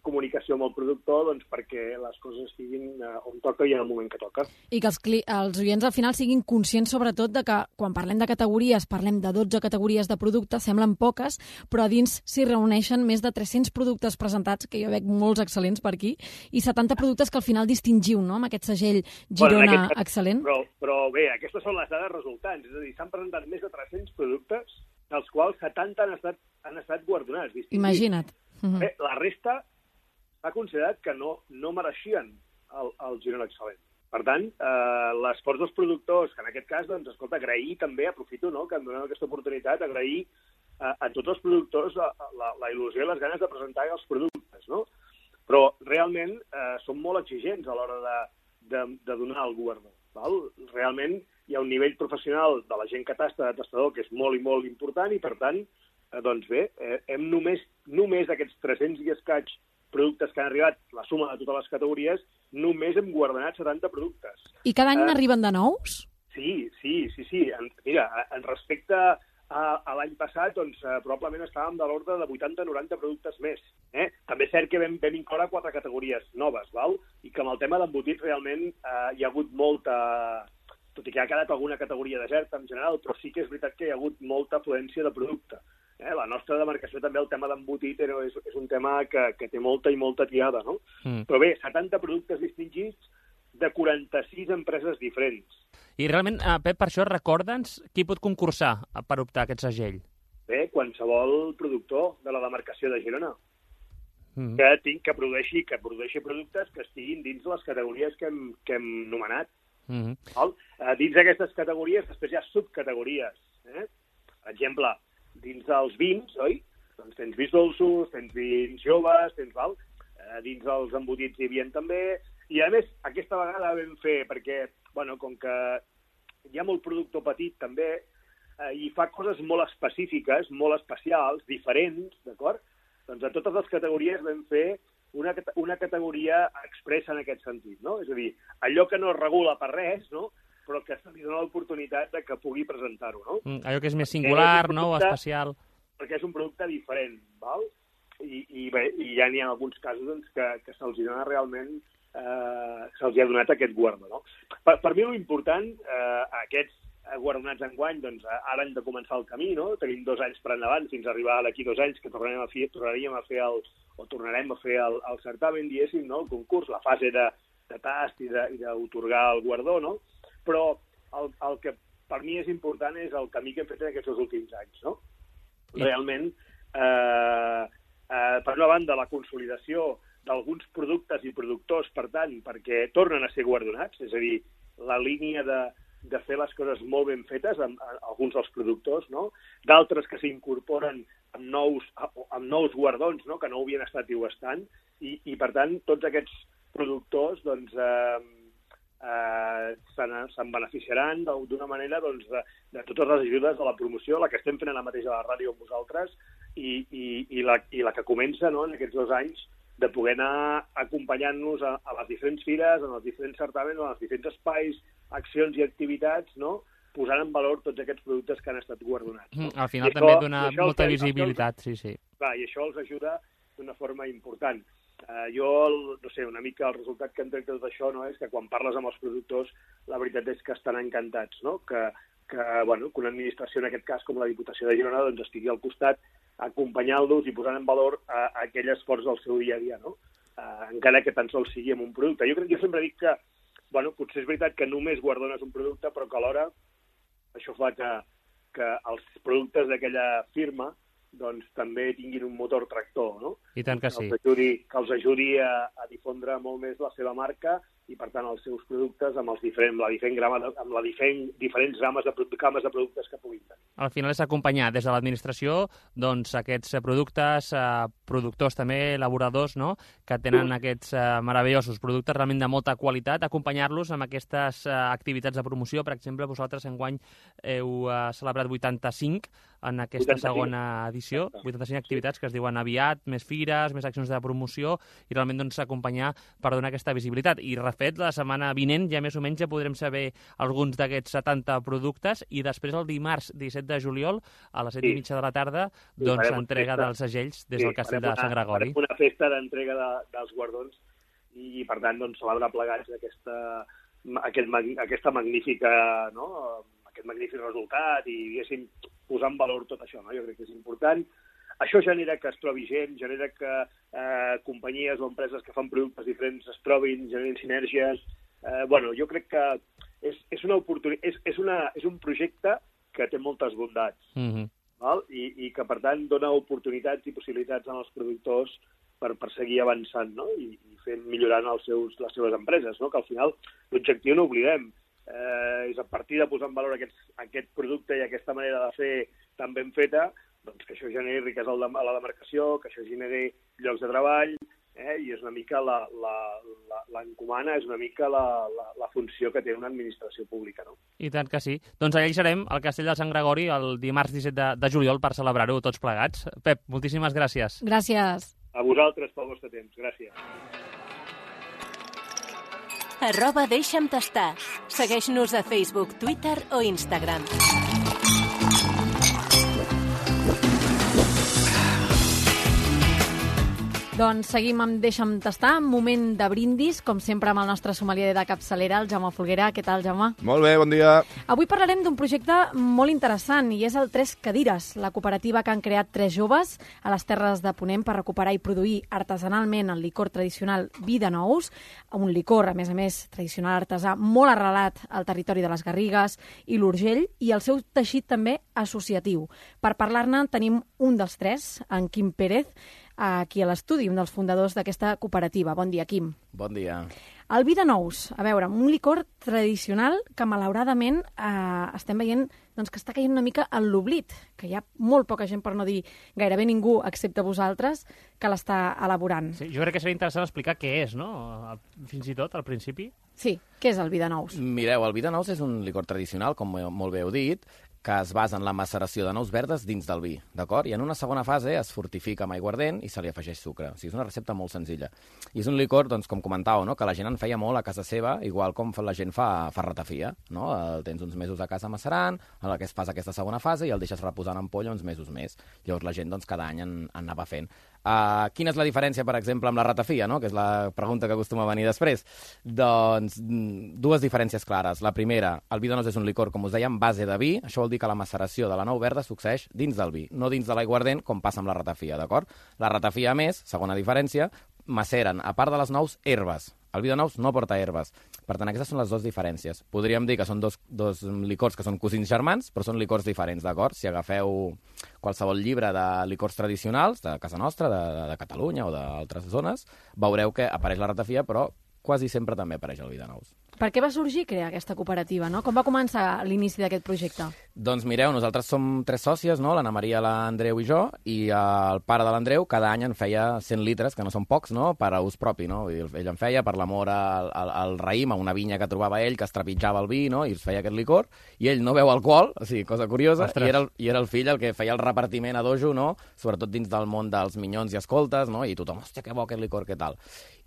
comunicació amb el productor, doncs perquè les coses estiguin on toca i en el moment que toca. I que els oients al final siguin conscients sobretot de que quan parlem de categories, parlem de 12 categories de productes, semblen poques, però a dins s'hi reuneixen més de 300 productes presentats, que jo veig molts excel·lents per aquí, i 70 productes que al final distingiu, no?, amb aquest segell Girona excel·lent. Però bé, aquestes són les dades resultants, és a dir, s'han presentat més de 300 productes, dels quals 70 han estat han estat guardonats. Imagina't. Bé, la resta s'ha considerat que no mereixien el Girona Excel·lent. Per tant, l'esforç dels productors, que en aquest cas, doncs, escolta, agrair també, aprofito, no?, que em donem aquesta oportunitat, agrair a tots els productors la il·lusió i les ganes de presentar els productes, no? Però realment són molt exigents a l'hora de donar el guardó. Realment hi ha un nivell professional de la gent que tasta de tastador que és molt i molt important i, per tant, doncs bé, hem només aquests 300 i escaig productes que han arribat, la suma de totes les categories, només hem guardonat 70 productes. I cada any n'arriben de nous? Sí. Mira, en respecte a l'any passat, doncs, probablement estàvem de l'ordre de 80-90 productes més. També és cert que vam incloure 4 categories noves, i que amb el tema d'embotits realment hi ha hagut molta... Tot i que ha quedat alguna categoria deserta en general, però sí que és veritat que hi ha hagut molta afluència de producte. La nostra demarcació també, el tema d'embotit, és un tema que té molta i molta tirada, no? Però bé, 70 productes distingits de 46 empreses diferents. I realment, Pep, per això recorda'ns qui pot concursar per optar a aquest segell? Bé, qualsevol productor de la demarcació de Girona que produeixi productes que estiguin dins les categories que hem nomenat. Dins d'aquestes categories, després hi ha subcategories. Per exemple, dins dels vins, oi? Doncs tens vins dolços, tens vins joves, dins dels embotits hi havia també. I a més, aquesta vegada vam fer, perquè, com que hi ha molt productor petit també, i fa coses molt específiques, molt especials, diferents, d'acord? Doncs a totes les categories vam fer una categoria expressa en aquest sentit, no? És a dir, allò que no es regula per res, no?, però que se li dona l'oportunitat que pugui presentar-ho, no? Allò que és més singular, no?, o especial. Perquè és un producte diferent, val? I ja n'hi ha alguns casos doncs, que se'ls dona realment, se'ls ha donat aquest guardó, no? Per mi l'important, aquests guardonats enguany, doncs ara hem de començar el camí, no? Tenim 2 anys per endavant fins a arribar d'aquí 2 anys que tornarem a fer el certamen, diguéssim, no? El concurs, la fase de tast i d'otorgar el guardó, no? Però el que per mi és important és el camí que hem fet en aquests 2 últims anys, no? Realment, per una banda, la consolidació d'alguns productes i productors, per tant, perquè tornen a ser guardonats, és a dir, la línia de fer les coses molt ben fetes amb alguns dels productors, no? D'altres que s'incorporen amb nous guardons, no?, que no havien estat i ho estan, i per tant, tots aquests productors doncs, se'n beneficiaran d'una manera doncs, de totes les ajudes de la promoció, la que estem fent ara mateix a la ràdio amb vosaltres, i la que comença, no?, en aquests 2 anys, de poder anar acompanyant-nos a les diferents fires, en els diferents certaments, en els diferents espais, accions i activitats, no?, posant en valor tots aquests productes que han estat guardonats. Al final també dona molta visibilitat, sí. Clar, i això els ajuda d'una forma important. Jo, no sé, una mica el resultat que en trec de tot això, no?, és que quan parles amb els productors, la veritat és que estan encantats, no?, que una administració, en aquest cas, com la Diputació de Girona, doncs estigui al costat acompanyant-los i posant en valor aquell esforç del seu dia a dia, no? Encara que tan sols sigui amb un producte. Jo sempre dic que, potser és veritat que només guardones un producte, però que alhora això fa que els productes d'aquella firma doncs també tinguin un motor tractor, no? I tant que sí. Que els ajudi a difondre molt més la seva marca i, per tant, els seus productes amb les diferents games de productes que puguin tenir. Al final és acompanyar des de l'administració doncs, aquests productes, productors també, elaboradors, no?, que tenen aquests meravellosos productes realment de molta qualitat, acompanyar-los amb aquestes activitats de promoció. Per exemple, vosaltres enguany heu celebrat 85 en aquesta segona edició, 85 activitats que es diuen aviat, més fires, més accions de promoció, i realment doncs, acompanyar per donar aquesta visibilitat. I refet, la setmana vinent ja més o menys ja podrem saber alguns d'aquests 70 productes, i després el dimarts 17 de juliol a les 7:30 de la tarda doncs entrega dels segells des del castell de Sant Gregori. Farem una festa d'entrega dels guardons i per tant doncs celebrar plegats aquesta magnífica, no?, aquest magnífic resultat i, diguéssim, posar en valor tot això, no? Jo crec que és important. Això genera que es trobi gent, genera que companyies o empreses que fan productes diferents es trobin, generin sinergies. Jo crec que és una oportunitat, és un projecte que té moltes bondats. val? I que, per tant, dona oportunitats i possibilitats als productors per seguir avançant, no? I millorant les seves empreses, no? Que al final l'objectiu, no oblidem, és a partir de posar en valor aquest producte i aquesta manera de fer tan ben feta, doncs que això generi riquesa a la demarcació, que això generi llocs de treball, i és una mica l'encomana, és una mica la funció que té una administració pública, no? I tant que sí. Doncs allà hi serem, al Castell de Sant Gregori, el dimarts 17 de juliol, per celebrar-ho tots plegats. Pep, moltíssimes gràcies. Gràcies. A vosaltres pel vostre temps. Gràcies. @deixa'm tastar. Segueix-nos a Facebook, Twitter o Instagram. Doncs seguim amb Deixa'm tastar, moment de brindis, com sempre amb el nostre sommelier de capçalera, el Jaume Folguera. Què tal, Jaume? Molt bé, bon dia. Avui parlarem d'un projecte molt interessant i és el Tres Cadires, la cooperativa que han creat tres joves a les Terres de Ponent per recuperar i produir artesanalment el licor tradicional Vi de Nous, un licor, a més, tradicional artesà, molt arrelat al territori de les Garrigues i l'Urgell i el seu teixit també associatiu. Per parlar-ne tenim un dels tres, en Quim Pérez, aquí a l'estudi, un dels fundadors d'aquesta cooperativa. Bon dia, Quim. Bon dia. El Vi de Nous, a veure, un licor tradicional que malauradament estem veient doncs, que està caient una mica en l'oblit, que hi ha molt poca gent, per no dir gairebé ningú, excepte vosaltres, que l'està elaborant. Sí, jo crec que seria interessant explicar què és, no? Fins i tot, al principi. Sí, què és el Vi de Nous? Mireu, el Vi de Nous és un licor tradicional, com molt bé heu dit, que es basa en la maceració de nous verdes dins del vi, d'acord? I en una segona fase es fortifica amb aiguardent i se li afegeix sucre. O sigui, és una recepta molt senzilla. I és un licor, doncs, com comentàveu, no? Que la gent en feia molt a casa seva, igual com la gent fa ratafia, no? El tens uns mesos a casa macerant, en el que es fas aquesta segona fase i el deixes reposant en ampolla uns mesos més. Llavors la gent, doncs, cada any en anava fent. Quina és la diferència, per exemple, amb la ratafia, no? Que és la pregunta que acostuma a venir després? Doncs dues diferències clares. La primera, el Vi de Nous és un licor, com us deia, en base de vi. Això vol dir que la maceració de la nou verda succeeix dins del vi, no dins de l'aiguardent, com passa amb la ratafia, d'acord? La ratafia, a més, segona diferència, maceren, a part de les nous, herbes. El Vi de Nous no porta herbes. Per tant, aquestes són les dues diferències. Podríem dir que són dos licors que són cosins germans, però són licors diferents, d'acord? Si agafeu qualsevol llibre de licors tradicionals, de casa nostra, de Catalunya o d'altres zones, veureu que apareix la ratafia, però quasi sempre també apareix el Vi de Nous. Per què va sorgir crear aquesta cooperativa, no? Com va començar l'inici d'aquest projecte? Doncs mireu, nosaltres som tres sòcies, no? L'Anna Maria, l'Andreu i jo, i el pare de l'Andreu cada any en feia 100 litres, que no són pocs, no? Per a ús propi, no? Ell en feia per l'amor al raïm, a una vinya que trobava ell, que es trepitjava el vi, no? I es feia aquest licor, i ell no beu alcohol, o sigui, cosa curiosa, i era el fill el que feia el repartiment a dojo, no? Sobretot dins del món dels minyons i escoltes, no? I tothom, hòstia, que bo aquest licor, què tal?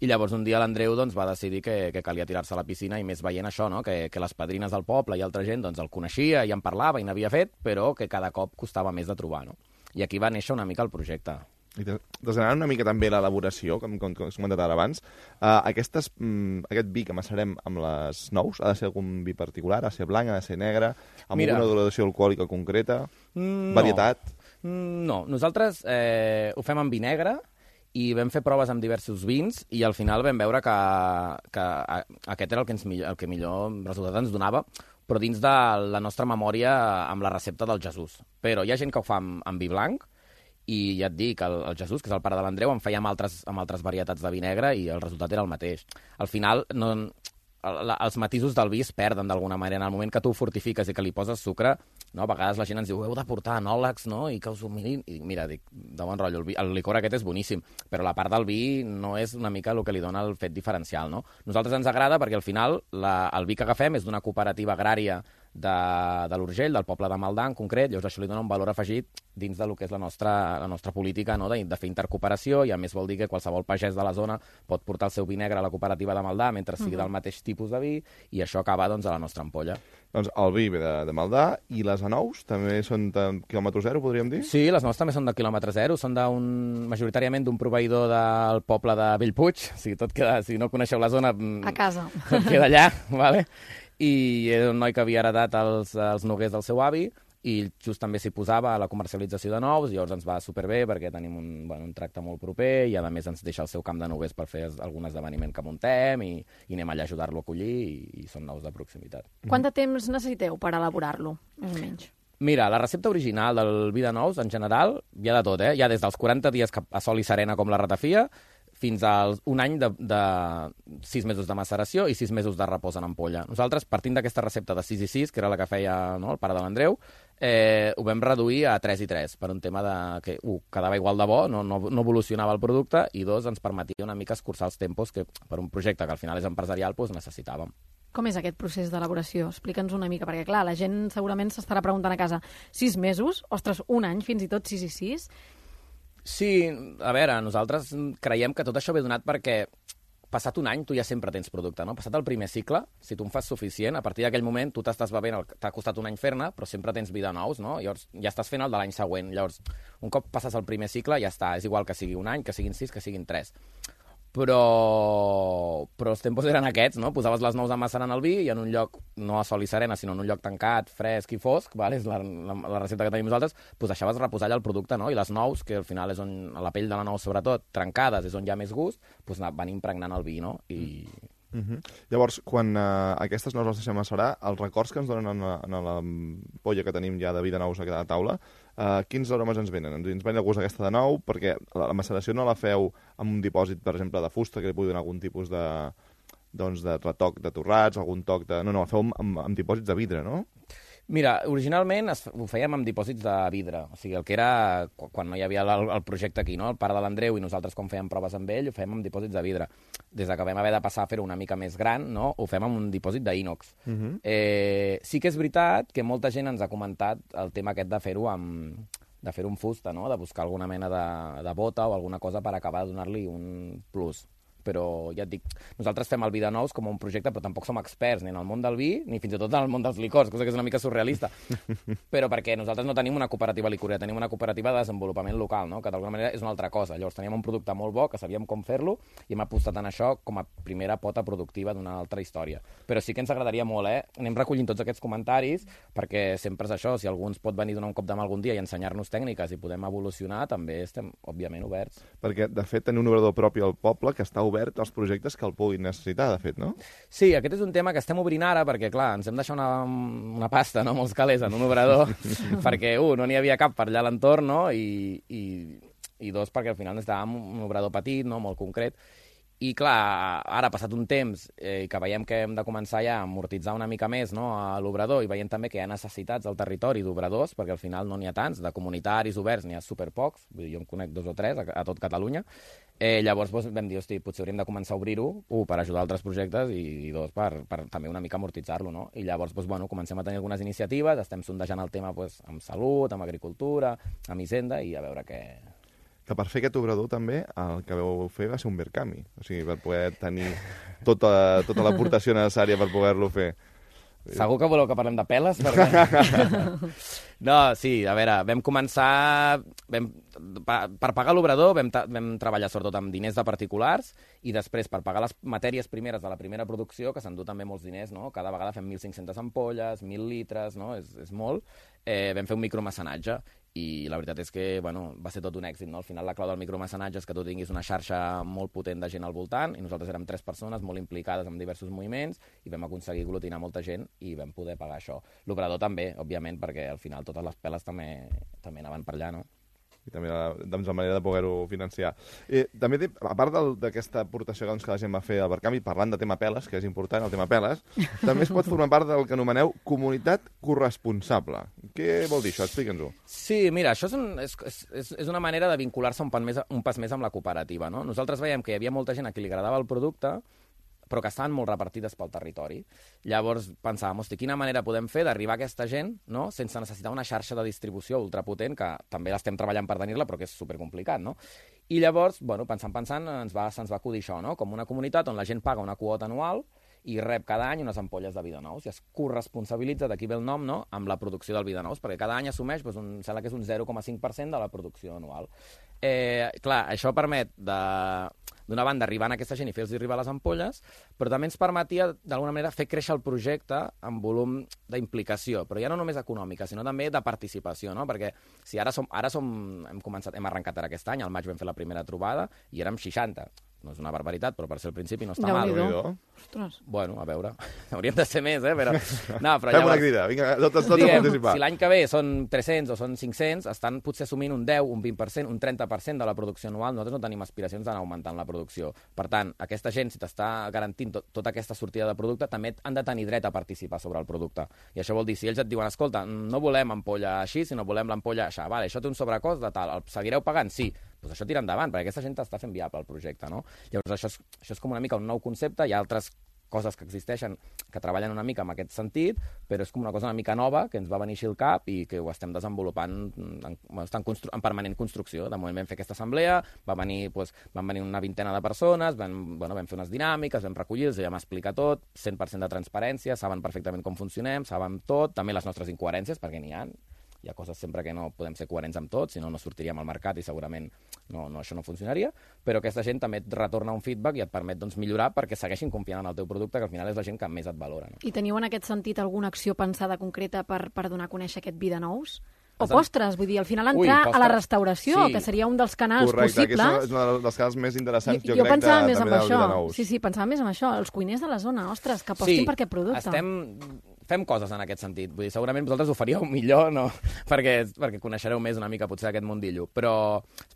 I llavors un dia l'Andreu doncs, va decidir que calia tirar-se a la piscina i més veient això, no? Que les padrines del poble i altra gent doncs, el coneixia i en parlava i n'havia fet, però que cada cop costava més de trobar. No? I aquí va néixer una mica el projecte. I desgranant una mica també l'elaboració, com has comentat ara abans, aquest vi que macerem amb les nous ha de ser algun vi particular, ha de ser blanc, ha de ser negre, amb alguna graduació alcohòlica concreta, varietat? No, nosaltres ho fem amb vi negre, i vam fer proves amb diversos vins i al final vam veure que aquest era el que millor resultat ens donava, però dins de la nostra memòria amb la recepta del Jesús. Però hi ha gent que ho fa amb vi blanc i ja et dic, el Jesús, que és el pare de l'Andreu, en feia amb altres varietats de vi negre i el resultat era el mateix. Al final, els matisos del vi es perden d'alguna manera. En el moment que tu ho fortifiques i que li poses sucre, no? A vegades la gent ens diu heu de portar anòlegs, no? I que us ho mirin. I mira, dic, de bon rotllo, el licor aquest és boníssim, però la part del vi no és una mica el que li dona el fet diferencial, no? Nosaltres ens agrada perquè al final el vi que agafem és d'una cooperativa agrària de l'Urgell, del poble de Maldà en concret, llavors això li dona un valor afegit dins del que és la nostra política, no? de fer intercooperació, i a més vol dir que qualsevol pagès de la zona pot portar el seu vi negre a la cooperativa de Maldà mentre sigui del mateix tipus de vi, i això acaba doncs, a la nostra ampolla. Doncs el vi ve de Maldà, i les anous també són de quilòmetre zero, podríem dir? Sí, les anous també són de quilòmetre zero, són majoritàriament d'un proveïdor del poble de Bellpuig, o sigui, tot queda, si no coneixeu la zona... A casa. Tot queda allà, vale? I era un noi que havia heretat els noguers del seu avi, i just també s'hi posava a la comercialització de nous, i llavors ens va superbé perquè tenim un tracte molt proper, i a més ens deixa el seu camp de noguers per fer algun esdeveniment que muntem, i anem allà a ajudar-lo a collir, i són nous de proximitat. Quant de temps necessiteu per elaborar-lo, més o menys? Mira, la recepta original del vi de nous, en general, hi ha de tot, Hi ha des dels 40 dies a sol i serena com la ratafia, fins als un any de 6 mesos de maceració i 6 mesos de repòs en ampolla. Nosaltres, partint d'aquesta recepta de 6 i 6, que era la que feia el pare de l'Andreu, ho vam reduir a 3 i 3, per un tema de que, quedava igual de bo, no evolucionava el producte, i dos, ens permetia una mica escurçar els tempos que, per un projecte que al final és empresarial, necessitàvem. Com és aquest procés d'elaboració? Explica'ns una mica, perquè clar, la gent segurament s'estarà preguntant a casa 6 mesos, ostres, un any, fins i tot 6 i 6... Sí, a veure, nosaltres creiem que tot això ve donat perquè passat un any tu ja sempre tens producte, no? Passat el primer cicle, si tu en fas suficient, a partir d'aquell moment tu t'estàs bevent, t'ha costat un any fer-ne, però sempre tens vi de nous, no? Llavors ja estàs fent el de l'any següent. Llavors, un cop passes el primer cicle, ja està. És igual que sigui un any, que siguin 6, que siguin 3. Però els tempos eren aquests, no? Posaves les nous a macerar en el vi i en un lloc, no a sol i serena, sinó en un lloc tancat, fresc i fosc, vale? És la recepta que tenim nosaltres, deixaves reposar allà el producte, no? I les nous, que al final és on, a la pell de la nou sobretot, trencades, és on hi ha més gust, van impregnant el vi, no? Llavors, quan aquestes nous les deixem macerar, els records que ens donen en la polla que tenim ja de vi de nous a cada taula, quins aromes ens venen? Ens ven el gust aquesta de nou, perquè la maceració no la feu amb un dipòsit, per exemple, de fusta, que li pugui donar algun tipus de retoc de torrats, algun toc de... No, la feu amb dipòsits de vidre, no? Mira, originalment ho fèiem amb dipòsits de vidre, o sigui, el que era quan no hi havia el projecte aquí, no? El pare de l'Andreu i nosaltres quan fèiem proves amb ell ho fèiem amb dipòsits de vidre. Des que vam haver de passar a fer-ho una mica més gran, no? Ho fem amb un dipòsit d'ínox. Sí que és veritat que molta gent ens ha comentat el tema aquest de fer-ho amb fusta, no? De buscar alguna mena de bota o alguna cosa per acabar de donar-li un plus. Però ja et dic, nosaltres fem el vi de nous com un projecte, però tampoc som experts ni en el món del vi, ni fins i tot en el món dels licors, cosa que és una mica surrealista. Però perquè nosaltres no tenim una cooperativa licorera, tenim una cooperativa de desenvolupament local, no? Que d'alguna manera és una altra cosa. Llavors teníem un producte molt bo, que sabíem com fer-lo, i hem apostat en això com a primera pota productiva d'una altra història. Però sí que ens agradaria molt, Anem recollint tots aquests comentaris, perquè sempre és això, si algú ens pot venir a donar un cop de mà algun dia i ensenyar-nos tècniques i podem evolucionar, també estem, òbviament, oberts. Perquè, de fet, tenim un obrador propi al poble que està obert als projectes que el puguin necessitar, de fet, no? Sí, aquest és un tema que estem obrint ara, perquè, clar, ens hem deixat una pasta, no?, molts calés en un obrador, perquè, no n'hi havia cap per allà a l'entorn, no?, i dos, perquè al final necessitàvem un obrador petit, no?, molt concret. I, clar, ara, passat un temps, que veiem que hem de començar ja a amortitzar una mica més, no?, a l'obrador, i veiem també que hi ha necessitats al territori d'obradors, perquè al final no n'hi ha tants, de comunitaris oberts n'hi ha superpocs, vull dir, jo en conec 2 o 3 a tot Catalunya. Llavors vam dir, hosti, potser hauríem de començar a obrir-ho, per ajudar altres projectes, i dos, per també una mica amortitzar-lo, no? I llavors, comencem a tenir algunes iniciatives, estem sondejant el tema amb salut, amb agricultura, amb hisenda, i a veure què... Que per fer aquest obrador també el que vau fer va ser un Verkami, o sigui, per poder tenir tota l'aportació necessària per poder-lo fer. Segur que voleu que parlem de peles? No, sí, a veure, vam començar... Per pagar l'obrador vam treballar sobretot amb diners de particulars i després per pagar les matèries primeres de la primera producció, que s'endú també molts diners, no? Cada vegada fem 1.500 ampolles, 1.000 litres, no? És molt. Vam fer un micromecenatge i la veritat és que, va ser tot un èxit, no? Al final la clau del micromecenatge és que tu tinguis una xarxa molt potent de gent al voltant, i nosaltres érem 3 persones molt implicades en diversos moviments i vam aconseguir aglutinar molta gent i vam poder pagar això. L'obrador també, òbviament, perquè al final totes les peles també anaven per allà, no? I també la manera de poder-ho financiar. També, a part d'aquesta aportació que la gent va fer al Verkami, parlant de tema peles, que és important, el tema peles, també es pot formar part del que anomeneu comunitat corresponsable. Què vol dir això? Explica'ns-ho. Sí, mira, això és una manera de vincular-se un pas més amb la cooperativa, no? Nosaltres veiem que hi havia molta gent a qui li agradava el producte, però que estaven molt repartides pel territori. Llavors pensàvem, hosti, quina manera podem fer d'arribar a aquesta gent, no?, sense necessitar una xarxa de distribució ultrapotent, que també l'estem treballant per tenir-la, però que és supercomplicat, no? I llavors, pensant, se'ns va acudir això, no?, com una comunitat on la gent paga una quota anual i rep cada any unes ampolles de vi de nous i es corresponsabilitza, d'aquí ve el nom, no?, amb la producció del vi de nous, perquè cada any assumeix, sembla que és un 0,5% de la producció anual. Clar, això permet d'una banda arribar a aquesta gent i fer-los arribar les ampolles, però també ens permetia d'alguna manera fer créixer el projecte amb volum d'implicació, però ja no només econòmica, sinó també de participació, no? Perquè si hem arrencat ara aquest any, al maig vam fer la primera trobada i érem 60. No és una barbaritat, però per ser al principi no està mal. Ostres. Bueno, a veure, hauríem de ser més, però... No, però fem una crida, vinga, tots a participar. Si l'any que ve són 300 o són 500, estan potser assumint un 10, un 20%, un 30% de la producció anual. Nosaltres no tenim aspiracions d'anar augmentant la producció. Per tant, aquesta gent, si t'està garantint tota aquesta sortida de producte, també han de tenir dret a participar sobre el producte. I això vol dir, si ells et diuen, escolta, no volem ampolla així, sinó volem l'ampolla així, vale, això té un sobrecost de tal, el seguireu pagant? Sí. Doncs això tira endavant, perquè aquesta gent està fent viable el projecte, no? Llavors, això és com una mica un nou concepte, hi ha altres coses que existeixen que treballen una mica en aquest sentit, però és com una cosa una mica nova que ens va venir així al cap i que ho estem desenvolupant en permanent construcció. De moment vam fer aquesta assemblea, van venir una vintena de persones, vam fer unes dinàmiques, vam recollir, els vam explicar tot, 100% de transparència, saben perfectament com funcionem, saben tot, també les nostres incoherències, perquè n'hi ha coses sempre que no podem ser coherents amb tot, si no, no sortiríem al mercat i segurament això no funcionaria, però aquesta gent també et retorna un feedback i et permet millorar perquè segueixin confiant en el teu producte, que al final és la gent que més et valora. No? I teniu en aquest sentit alguna acció pensada concreta per donar a conèixer aquest vi de nous? O postres, vull dir, al final entrar a la restauració, que seria un dels canals possibles. Correcte, és un dels canals més interessants, jo crec, pensava més també en això. De nous. Sí, pensava més en això, els cuiners de la zona, ostres, que apostin per aquest producte. Fem coses en aquest sentit. Vull dir, segurament vosaltres ho faríeu millor, no? perquè coneixereu més una mica potser aquest mundillo. Però,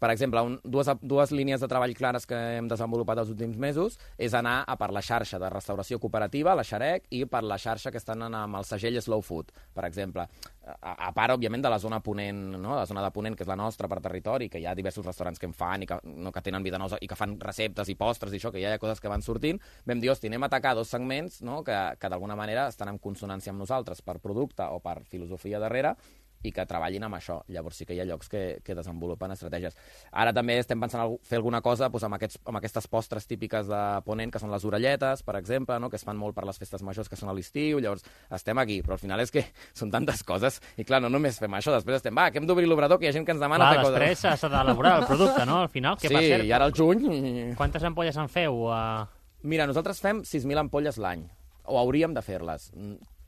per exemple, dues línies de treball clares que hem desenvolupat els últims mesos és anar a per la xarxa de restauració cooperativa, la Xarec, i per la xarxa que estan amb el segell Slow Food, per exemple. A part, òbviament, de la zona ponent, no? La zona de ponent, que és la nostra per territori, que hi ha diversos restaurants que en fan i que tenen vida nosa i que fan receptes i postres i això, que ja hi ha coses que van sortint, vam dir, hosti, anem a atacar dos segments, no? que d'alguna manera estan en consonància amb nosaltres per producte o per filosofia darrere i que treballin amb això. Llavors sí que hi ha llocs que desenvolupen estratègies. Ara també estem pensant fer alguna cosa amb aquestes postres típiques de Ponent, que són les orelletes, per exemple, no? que es fan molt per les festes majors, que són a l'estiu. Llavors estem aquí, però al final és que són tantes coses i clar, no només fem això, després estem, que hem d'obrir l'obrador, que hi ha gent que ens demana fer coses. Després s'ha d'elaborar el producte, no? Al final, què passa? Sí, i ara al juny... Quantes ampolles en feu? Mira, nosaltres fem 6.000 ampolles l'any, o hauríem de fer-les.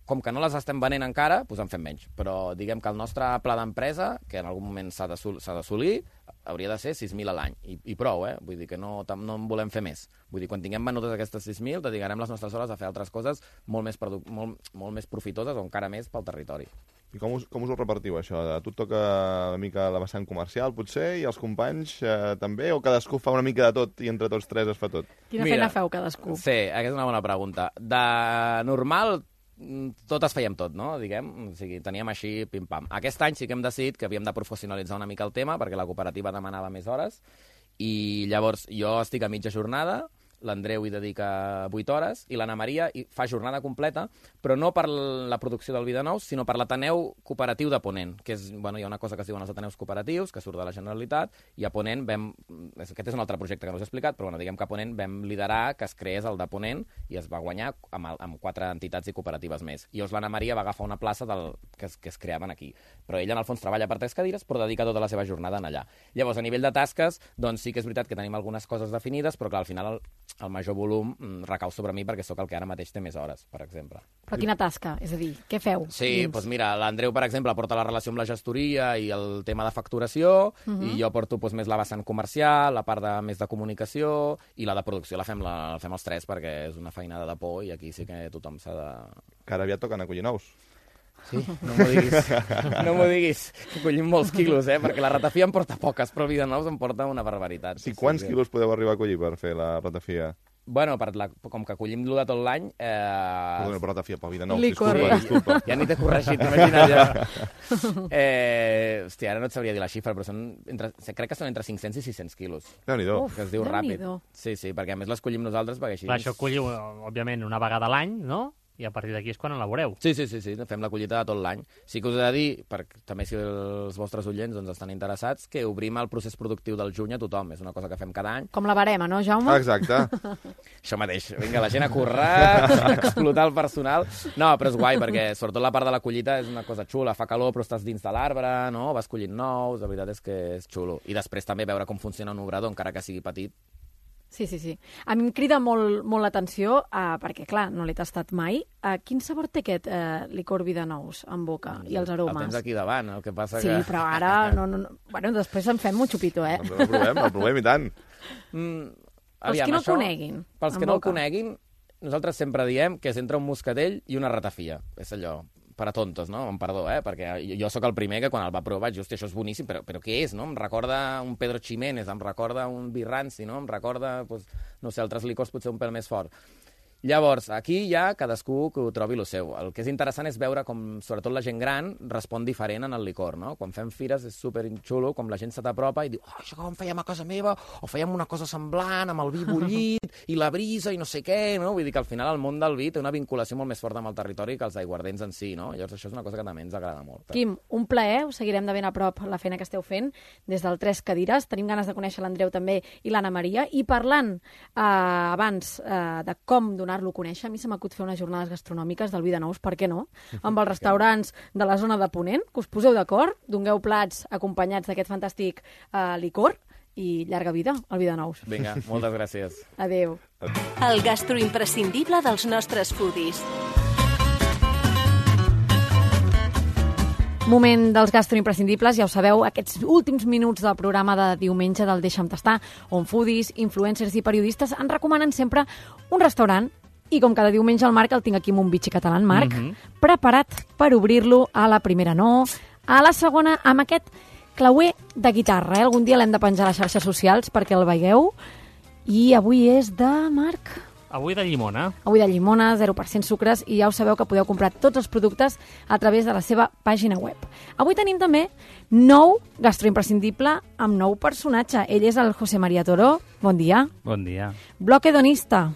Com que no les estem venent encara, doncs en fem menys. Però diguem que el nostre pla d'empresa, que en algun moment s'ha d'assolir, hauria de ser 6.000 a l'any. I prou, Vull dir que no en volem fer més. Vull dir, quan tinguem venutes aquestes 6.000, dedicarem les nostres hores a fer altres coses molt més profitoses o encara més pel territori. I com us ho repartiu, això? A tu et toca una mica la vessant comercial, potser, i els companys també? O cadascú fa una mica de tot i entre tots tres es fa tot? Quina feina feu cadascú? Sí, aquesta és una bona pregunta. De normal, totes fèiem tot, no? Diguem, o sigui, teníem així pim-pam. Aquest any sí que hem decidit que havíem de professionalitzar una mica el tema perquè la cooperativa demanava més hores i llavors jo estic a mitja jornada, l'Andreu hi dedica 8 hores i l'Anna Maria fa jornada completa, però no per la producció del vi de nous, sinó per l'Ateneu Cooperatiu de Ponent, que és, hi ha una cosa que es diuen els Ateneus Cooperatius, que surt de la Generalitat, i a Ponent aquest és un altre projecte que no us he explicat, però diguem que a Ponent vam liderar que es creés el de Ponent i es va guanyar amb 4 entitats i cooperatives més. I llavors l'Anna Maria va agafar una plaça que es creaven aquí. Però ella, en el fons, treballa per 3 cadires, però dedica tota la seva jornada en allà. Llavors, a nivell de tasques, doncs sí que és veritat que tenim algunes coses definides, però clar, al final el major volum recau sobre mi perquè sóc el que ara mateix té més hores, per exemple. Però quina tasca? És a dir, què feu? Sí, doncs mira, l'Andreu, per exemple, porta la relació amb la gestoria i el tema de facturació, i jo porto més la vessant comercial, la part més de comunicació, i la de producció la fem els tres perquè és una feinada de por i aquí sí que tothom s'ha de... Que ara aviat toquen a collir nous. Sí, no m'ho diguis. No m'ho diguis. Collim molts quilos, perquè la ratafia em porta poques, però el vi de nous em porta una barbaritat. Sí, quants quilos podeu arribar a collir per fer la ratafia? Bueno, com que collim de tot l'any... Perdona, per ratafia, pel vi de nous, disculpa. Ja ni t'he corregit, imagina't ja. Hòstia, ara no et sabria dir la xifra, però crec que són entre 500 i 600 quilos. Déu-n'hi-do. Que es diu ràpid. Sí, perquè a més les collim nosaltres perquè així... Clar, això colliu, òbviament, una vegada a l'any, no? I a partir d'aquí és quan elaboreu. Sí, fem la collita de tot l'any. Sí que us he de dir, també si els vostres oients estan interessats, que obrim el procés productiu del juny a tothom. És una cosa que fem cada any. Com la barema, no, Jaume? Exacte. Això mateix. Vinga, la gent a currar, a explotar el personal. No, però és guai, perquè sobretot la part de la collita és una cosa xula. Fa calor, però estàs dins de l'arbre, no? Vas collint nous, la veritat és que és xulo. I després també veure com funciona un obrador, encara que sigui petit. Sí. A mi em crida molt l'atenció, perquè, clar, no l'he tastat mai. Quin sabor té aquest licor vi de nous en boca i els aromes? El tens aquí davant, el que passa que... Sí, però ara... Bueno, després en fem un xupito, El provem i tant. Pels que no el coneguin. Pels que no el coneguin, nosaltres sempre diem que és entre un moscatell i una ratafia. És allò, per a tontos, no? Amb perdó, perquè jo sóc el primer que quan el va provar vaig dir, hòstia, això és boníssim, però què és, no? Em recorda un Pedro Ximénez, em recorda un vi ranci, no? Em recorda, doncs, no sé, altres licors potser un pèl més fort. Llavors, aquí ja cadascú que ho trobi el seu. El que és interessant és veure com, sobretot la gent gran, respon diferent en el licor, no? Quan fem fires és superxulo, com la gent se t'apropa i diu, oh, això com fèiem a casa meva, o fèiem una cosa semblant, amb el vi bullit, i la brisa, i no sé què, no? Vull dir que al final el món del vi té una vinculació molt més forta amb el territori que els aiguardents en si, no? Llavors això és una cosa que també ens agrada molt. Quim, un plaer, us seguirem de ben a prop la feina que esteu fent des del Tres Cadires. Tenim ganes de conèixer l'Andreu també i l'Anna Maria. I parlant abans de com donar-lo a conèixer, a mi se m'acut fer unes jornades gastronòmiques del vi de nous, per què no? Amb els restaurants de la zona de Ponent, que us poseu d'acord, dongueu plats acompanyats d'aquest fantàstic licor i llarga vida al vi de nous. Vinga, moltes gràcies. Adéu. El gastroimprescindible dels nostres foodies. Moment dels gastroimprescindibles, ja ho sabeu, aquests últims minuts del programa de diumenge del Deixa'm Tastar, on foodies, influencers i periodistes ens recomanen sempre un restaurant. I com cada diumenge el Marc el tinc aquí amb un bitxi català, Marc, preparat per obrir-lo a la primera no, a la segona amb aquest clauer de guitarra. Algun dia l'hem de penjar a les xarxes socials perquè el veieu. I avui és de Marc... Avui de llimona. Avui de llimona, 0% sucres, i ja ho sabeu que podeu comprar tots els productes a través de la seva pàgina web. Avui tenim també nou gastroimprescindible amb nou personatge. Ell és el José María Toro. Bon dia. Bon dia. Bloc hedonista.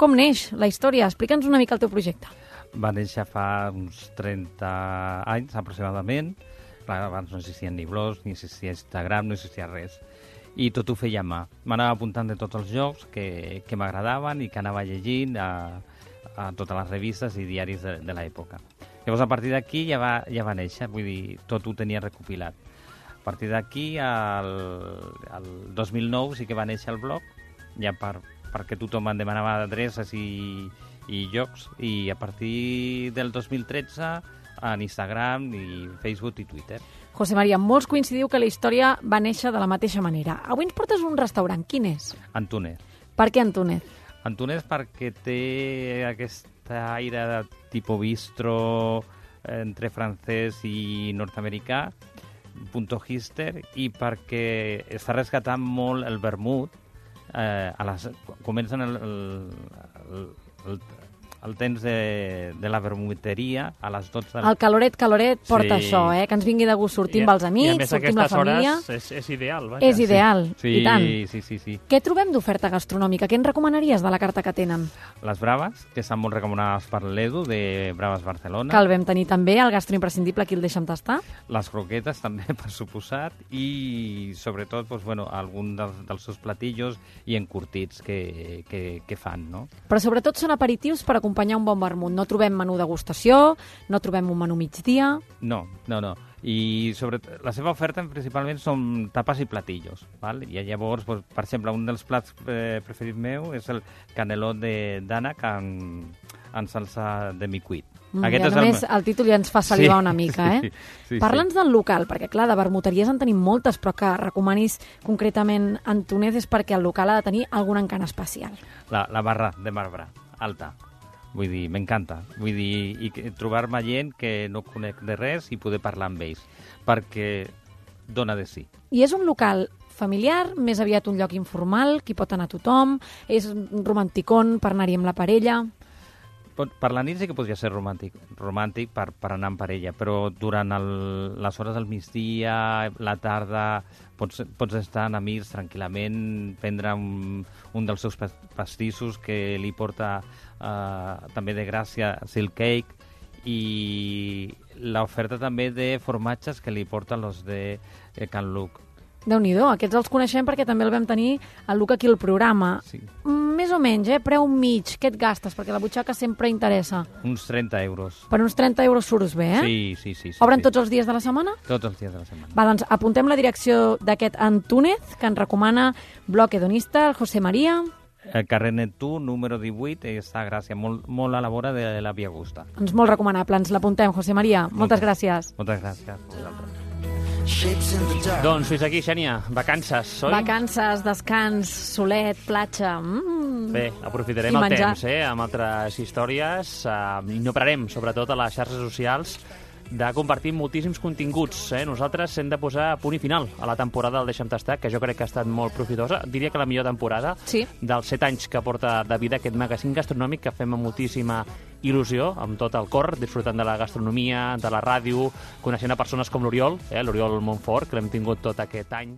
Com neix la història? Explica'ns una mica el teu projecte. Va néixer fa uns 30 anys, aproximadament. Clar, abans no existien ni blogs, ni existia Instagram, no existia res. I tot ho feia a mà. M'anava apuntant de tots els jocs que m'agradaven i que anava llegint a totes les revistes i diaris de l'època. Llavors, a partir d'aquí ja va néixer, vull dir, tot ho tenia recopilat. A partir d'aquí, el 2009 sí que va néixer el blog, ja perquè tothom em demanava adreces i llocs, i a partir del 2013 en Instagram, i Facebook i Twitter. José María, molts coincidiu que la història va néixer de la mateixa manera. Avui ens portes un restaurant. Quin és? Antúnez. Per què Antúnez? Antúnez perquè té aquest aire de tipus bistro entre francès i nord-americà, punto hipster, i perquè està rescatant molt el vermut. Comencen el temps de la vermuteria a les 12... El caloret porta això, que ens vingui de gust. Sortim amb els amics, sortim la família... I a més aquestes hores és ideal, vaja. És ideal, sí, i tant. Sí. Què trobem d'oferta gastronòmica? Què ens recomanaries de la carta que tenen? Les braves, que estan molt recomanades per l'Edu, de Braves Barcelona. Que el vam tenir també, el gastroimprescindible, aquí el Deixa'm Tastar. Les croquetes també, per suposat, i sobretot doncs, algun dels seus platillos i encurtits que fan, no? Però sobretot són aperitius per acompanyar un bon vermut. No trobem menú degustació, no trobem un menú migdia... No. I la seva oferta principalment són tapes i platillos. Val? I llavors, doncs, per exemple, un dels plats preferits meu és el caneló d'ànec en salsa de micuit. Només el títol ja ens fa salivar una mica, Sí. Parla'ns del local, perquè clar, de vermuteries en tenim moltes, però que recomanis concretament Antúnez és perquè el local ha de tenir algun encant especial. La barra de marbre, alta. Vull dir, m'encanta. Vull dir, i trobar-me gent que no conec de res i poder parlar amb ells, perquè dona de sí. I és un local familiar, més aviat un lloc informal, que hi pot anar tothom, és romanticón per anar-hi amb la parella... Per la nit sí que podria ser romàntic per anar amb parella, però durant les hores del migdia, la tarda, pots estar amb amics tranquil·lament, prendre un dels seus pastissos que li porta també de gràcia Silk Cake, i l'oferta també de formatges que li porten els de Can Luc. Déu-n'hi-do, aquests els coneixem perquè també el vam tenir el Luc aquí al programa. Sí. Més o menys, preu mig, què et gastes? Perquè la butxaca sempre interessa. Uns 30 euros. Per uns 30 euros surts bé, Sí. Obren tots els dies de la setmana? Tots els dies de la setmana. Va, doncs apuntem la direcció d'aquest Antúnez, que ens recomana Bloc Hedonista, el José María. El carrer Neptú, número 18, està a Gràcia, molt a la vora de la Via Augusta. Doncs molt recomanable, ens l'apuntem, José María. Moltes gràcies. Moltes gràcies a vosaltres. Doncs fins aquí, Xènia. Vacances, oi? Vacances, descans, solet, platja... Bé, aprofitarem el temps amb altres històries i no pararem, sobretot a les xarxes socials, de compartir moltíssims continguts. Nosaltres hem de posar punt i final a la temporada del Deixa'm Tastar, que jo crec que ha estat molt profitosa. Diria que la millor temporada dels 7 anys que porta de vida aquest magazín gastronòmic, que fem amb moltíssima il·lusió, amb tot el cor, disfrutant de la gastronomia, de la ràdio, coneixent a persones com l'Oriol, l'Oriol Montfort, que l'hem tingut tot aquest any